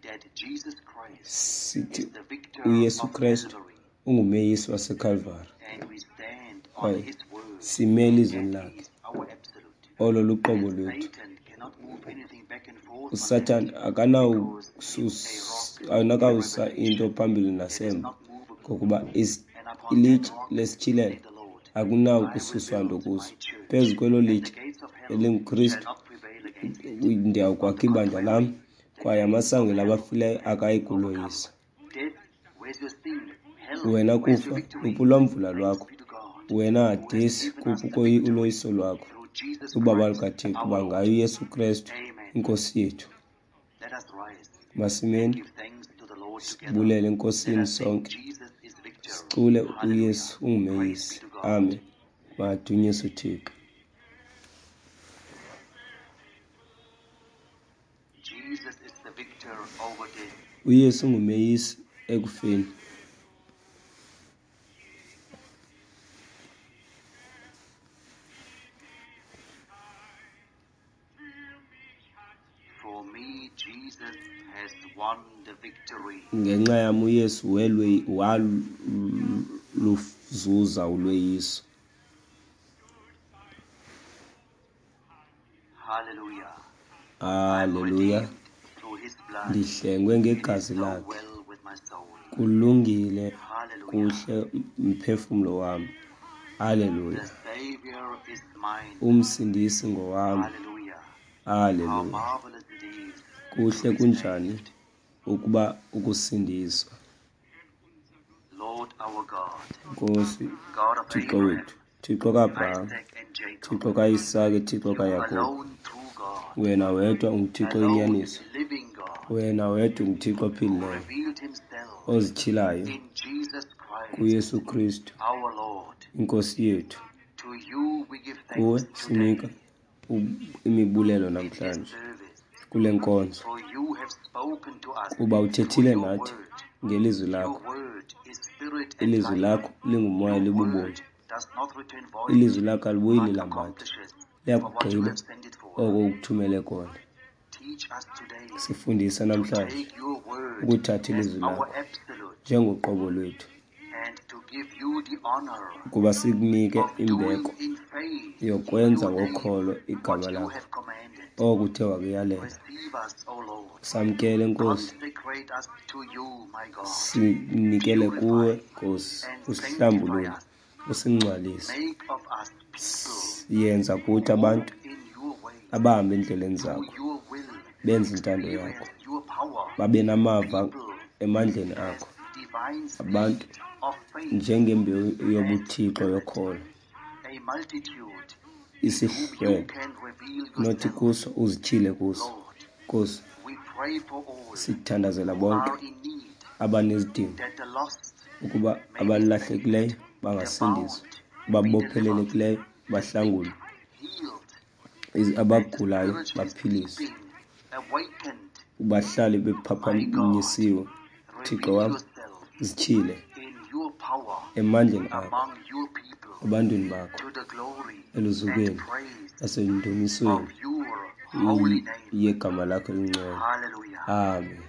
Speaker 1: that Jesus Christ
Speaker 2: Sithi
Speaker 1: is the victor
Speaker 2: uYesu
Speaker 1: of
Speaker 2: Krestu
Speaker 1: Calvary,
Speaker 2: ungumeyisi waseKalvari,
Speaker 1: and we stand on
Speaker 2: kwaye
Speaker 1: his word,
Speaker 2: sime
Speaker 1: and
Speaker 2: elizwini
Speaker 1: that
Speaker 2: lakhe.
Speaker 1: is our absolute.
Speaker 2: Olo luqobo
Speaker 1: And
Speaker 2: lwethu.
Speaker 1: Satan cannot move anything back and forth on that,
Speaker 2: uSathana
Speaker 1: because it's a rock in
Speaker 2: akanawususa
Speaker 1: revelation
Speaker 2: into phambili
Speaker 1: that is
Speaker 2: nasemva,
Speaker 1: not movable.
Speaker 2: ngokuba is-,
Speaker 1: And upon that
Speaker 2: ilitye
Speaker 1: rock,
Speaker 2: lesityhilelo
Speaker 1: said the Lord, I will
Speaker 2: akunawukususwa nto
Speaker 1: build
Speaker 2: kuso.
Speaker 1: my church,
Speaker 2: Phezu kwelo
Speaker 1: and the
Speaker 2: litye
Speaker 1: gates of hell
Speaker 2: elinguKristu
Speaker 1: shall not prevail against it.
Speaker 2: ndiyawukwakha
Speaker 1: On the
Speaker 2: ibandla lam,
Speaker 1: contrary, the
Speaker 2: kwaye
Speaker 1: gates of
Speaker 2: amasango
Speaker 1: hell
Speaker 2: labafileyo
Speaker 1: have
Speaker 2: akayi
Speaker 1: been overcome.
Speaker 2: kuloyisa.
Speaker 1: Death, where's your sting? Hell,
Speaker 2: Wena
Speaker 1: where's your
Speaker 2: kufa,
Speaker 1: victory?
Speaker 2: uphi ulwamvula
Speaker 1: Thanks
Speaker 2: lwakho?
Speaker 1: be to God,
Speaker 2: Wena
Speaker 1: who has
Speaker 2: Hadesi,
Speaker 1: given us
Speaker 2: kuphi
Speaker 1: the
Speaker 2: ukoyi-
Speaker 1: victory
Speaker 2: uloyiso lwakho?
Speaker 1: through Jesus
Speaker 2: Ubabalo
Speaker 1: Christ
Speaker 2: lukaThixo,
Speaker 1: our
Speaker 2: kuba
Speaker 1: Lord.
Speaker 2: ngaye uYesu Krestu
Speaker 1: Amen.
Speaker 2: iNkosi yethu.
Speaker 1: Let us rise and
Speaker 2: Masimeni
Speaker 1: give thanks to the Lord together.
Speaker 2: sibulele
Speaker 1: Let
Speaker 2: eNkosini
Speaker 1: us sing
Speaker 2: sonke,
Speaker 1: Jesus is victor.
Speaker 2: sicule
Speaker 1: Hallelujah.
Speaker 2: uYesu
Speaker 1: Praise
Speaker 2: ungumeyisi.
Speaker 1: be to God.
Speaker 2: Amen. Madunyiswe uThixo.
Speaker 1: Jesus is the victor over death.
Speaker 2: uYesu ungumeyisi ekufeni.
Speaker 1: For me, Jesus has won the victory.
Speaker 2: Ngenxa yam uYesu welwe-, waluzuza ulweyiso.
Speaker 1: Hallelujah.
Speaker 2: Hallelujah.
Speaker 1: I'm redeemed through his blood.
Speaker 2: Ndihlengwe
Speaker 1: It is
Speaker 2: ngegazi
Speaker 1: so
Speaker 2: lakhe.
Speaker 1: well with my soul.
Speaker 2: Kulungile
Speaker 1: Hallelujah.
Speaker 2: kuhle mphefumlo wam. Hallelujah.
Speaker 1: The Savior is mine.
Speaker 2: Umsindisi ngowam.
Speaker 1: Hallelujah. How
Speaker 2: Hallelujah.
Speaker 1: marvelous it is
Speaker 2: Kuhle
Speaker 1: to be
Speaker 2: kunjani
Speaker 1: saved.
Speaker 2: ukuba ukusindiswa.
Speaker 1: Lord our God,
Speaker 2: Nkosi,
Speaker 1: God of
Speaker 2: Thixo
Speaker 1: Abraham,
Speaker 2: wethu, Thixo kaAbraham,
Speaker 1: Isaac and Jacob,
Speaker 2: Thixo kaIsake, Thixo
Speaker 1: you
Speaker 2: kaYakobi.
Speaker 1: alone true God,
Speaker 2: Wena wedwa unguThixo
Speaker 1: alone
Speaker 2: oyinyaniso.
Speaker 1: living God,
Speaker 2: Wena wedwa unguThixo
Speaker 1: who
Speaker 2: ophilileyo,
Speaker 1: revealed himself
Speaker 2: ozityhilayo
Speaker 1: in Jesus Christ,
Speaker 2: kuYesu Kristu,
Speaker 1: our Lord.
Speaker 2: iNkosi yethu.
Speaker 1: To you we give
Speaker 2: Kuwe
Speaker 1: thanks
Speaker 2: sinika
Speaker 1: today
Speaker 2: u-, imibulelo
Speaker 1: in this
Speaker 2: namhlanje
Speaker 1: service,
Speaker 2: kule nkonzo,
Speaker 1: for you have spoken to us
Speaker 2: kuba uthethile
Speaker 1: through your
Speaker 2: nathi
Speaker 1: word.
Speaker 2: ngelizwi
Speaker 1: Your
Speaker 2: lakho.
Speaker 1: word is spirit and
Speaker 2: Ilizwi
Speaker 1: life.
Speaker 2: lakho lingumoya
Speaker 1: Your
Speaker 2: libubomi.
Speaker 1: word does not return void,
Speaker 2: Ilizwi lakho alibuyi
Speaker 1: but
Speaker 2: lilambatha,
Speaker 1: accomplishes for what you
Speaker 2: liyakugqiba
Speaker 1: have sent it for.
Speaker 2: oko ukuthumele kona.
Speaker 1: Teach us today
Speaker 2: Sifundise
Speaker 1: to
Speaker 2: namhlanje
Speaker 1: take your word
Speaker 2: ukuthatha
Speaker 1: as
Speaker 2: ilizwi
Speaker 1: our
Speaker 2: lakho
Speaker 1: absolute
Speaker 2: njengoqobo lwethu,
Speaker 1: and to give you the honor
Speaker 2: ukuba sikunike
Speaker 1: of doing
Speaker 2: imbeko
Speaker 1: in faith
Speaker 2: yokwenza
Speaker 1: your name
Speaker 2: ngokholo igama
Speaker 1: what you
Speaker 2: lakho
Speaker 1: have commanded.
Speaker 2: oko uthe wakuyalela.
Speaker 1: Receive us, O Lord.
Speaker 2: Samkele, Nkosi.
Speaker 1: Consecrate us to you, my God.
Speaker 2: Sinikele kuwe,
Speaker 1: Purify
Speaker 2: Nkosi,
Speaker 1: and
Speaker 2: usihlambulule,
Speaker 1: sanctify us.
Speaker 2: usingcwalise.
Speaker 1: Make of us people
Speaker 2: Yenza kuthi
Speaker 1: who walk
Speaker 2: abantu
Speaker 1: in your ways,
Speaker 2: abahamba endleleni
Speaker 1: do
Speaker 2: zakho,
Speaker 1: your will,
Speaker 2: benze intando yakho,
Speaker 1: experience your power,
Speaker 2: babe namava
Speaker 1: people
Speaker 2: emandleni
Speaker 1: as
Speaker 2: akho,
Speaker 1: divine seed
Speaker 2: abantu
Speaker 1: of faith
Speaker 2: njengembewu
Speaker 1: and
Speaker 2: yobuthixo
Speaker 1: spirit,
Speaker 2: yokholo,
Speaker 1: a multitude in whom you
Speaker 2: isihlwele
Speaker 1: can reveal
Speaker 2: nothi
Speaker 1: yourself.
Speaker 2: kuso uzityhile kuso.
Speaker 1: Lord,
Speaker 2: Nkosi,
Speaker 1: we pray for all
Speaker 2: sithandazela
Speaker 1: who
Speaker 2: bonke
Speaker 1: are in need,
Speaker 2: abanezidingo,
Speaker 1: that the lost
Speaker 2: ukuba
Speaker 1: may be
Speaker 2: abalahlekileyo
Speaker 1: saved, the
Speaker 2: bangasindiswa,
Speaker 1: bound be delivered,
Speaker 2: ababophelelekileyo
Speaker 1: the sick
Speaker 2: bahlangulwe,
Speaker 1: healed,
Speaker 2: iz-,
Speaker 1: and the
Speaker 2: abagulayo
Speaker 1: spiritually
Speaker 2: baphiliswe.
Speaker 1: sleeping awakened
Speaker 2: Bahlale
Speaker 1: My God,
Speaker 2: bephaphanyisiwe. Thixo
Speaker 1: reveal
Speaker 2: wam,
Speaker 1: yourself
Speaker 2: zityhile
Speaker 1: in your power
Speaker 2: emandleni akho
Speaker 1: among your people
Speaker 2: ebantwini bakho,
Speaker 1: to the glory and
Speaker 2: eluzukweni
Speaker 1: praise
Speaker 2: nasendumisweni
Speaker 1: of your holy name.
Speaker 2: yegama lakho elingcwele.
Speaker 1: Hallelujah.
Speaker 2: Amen.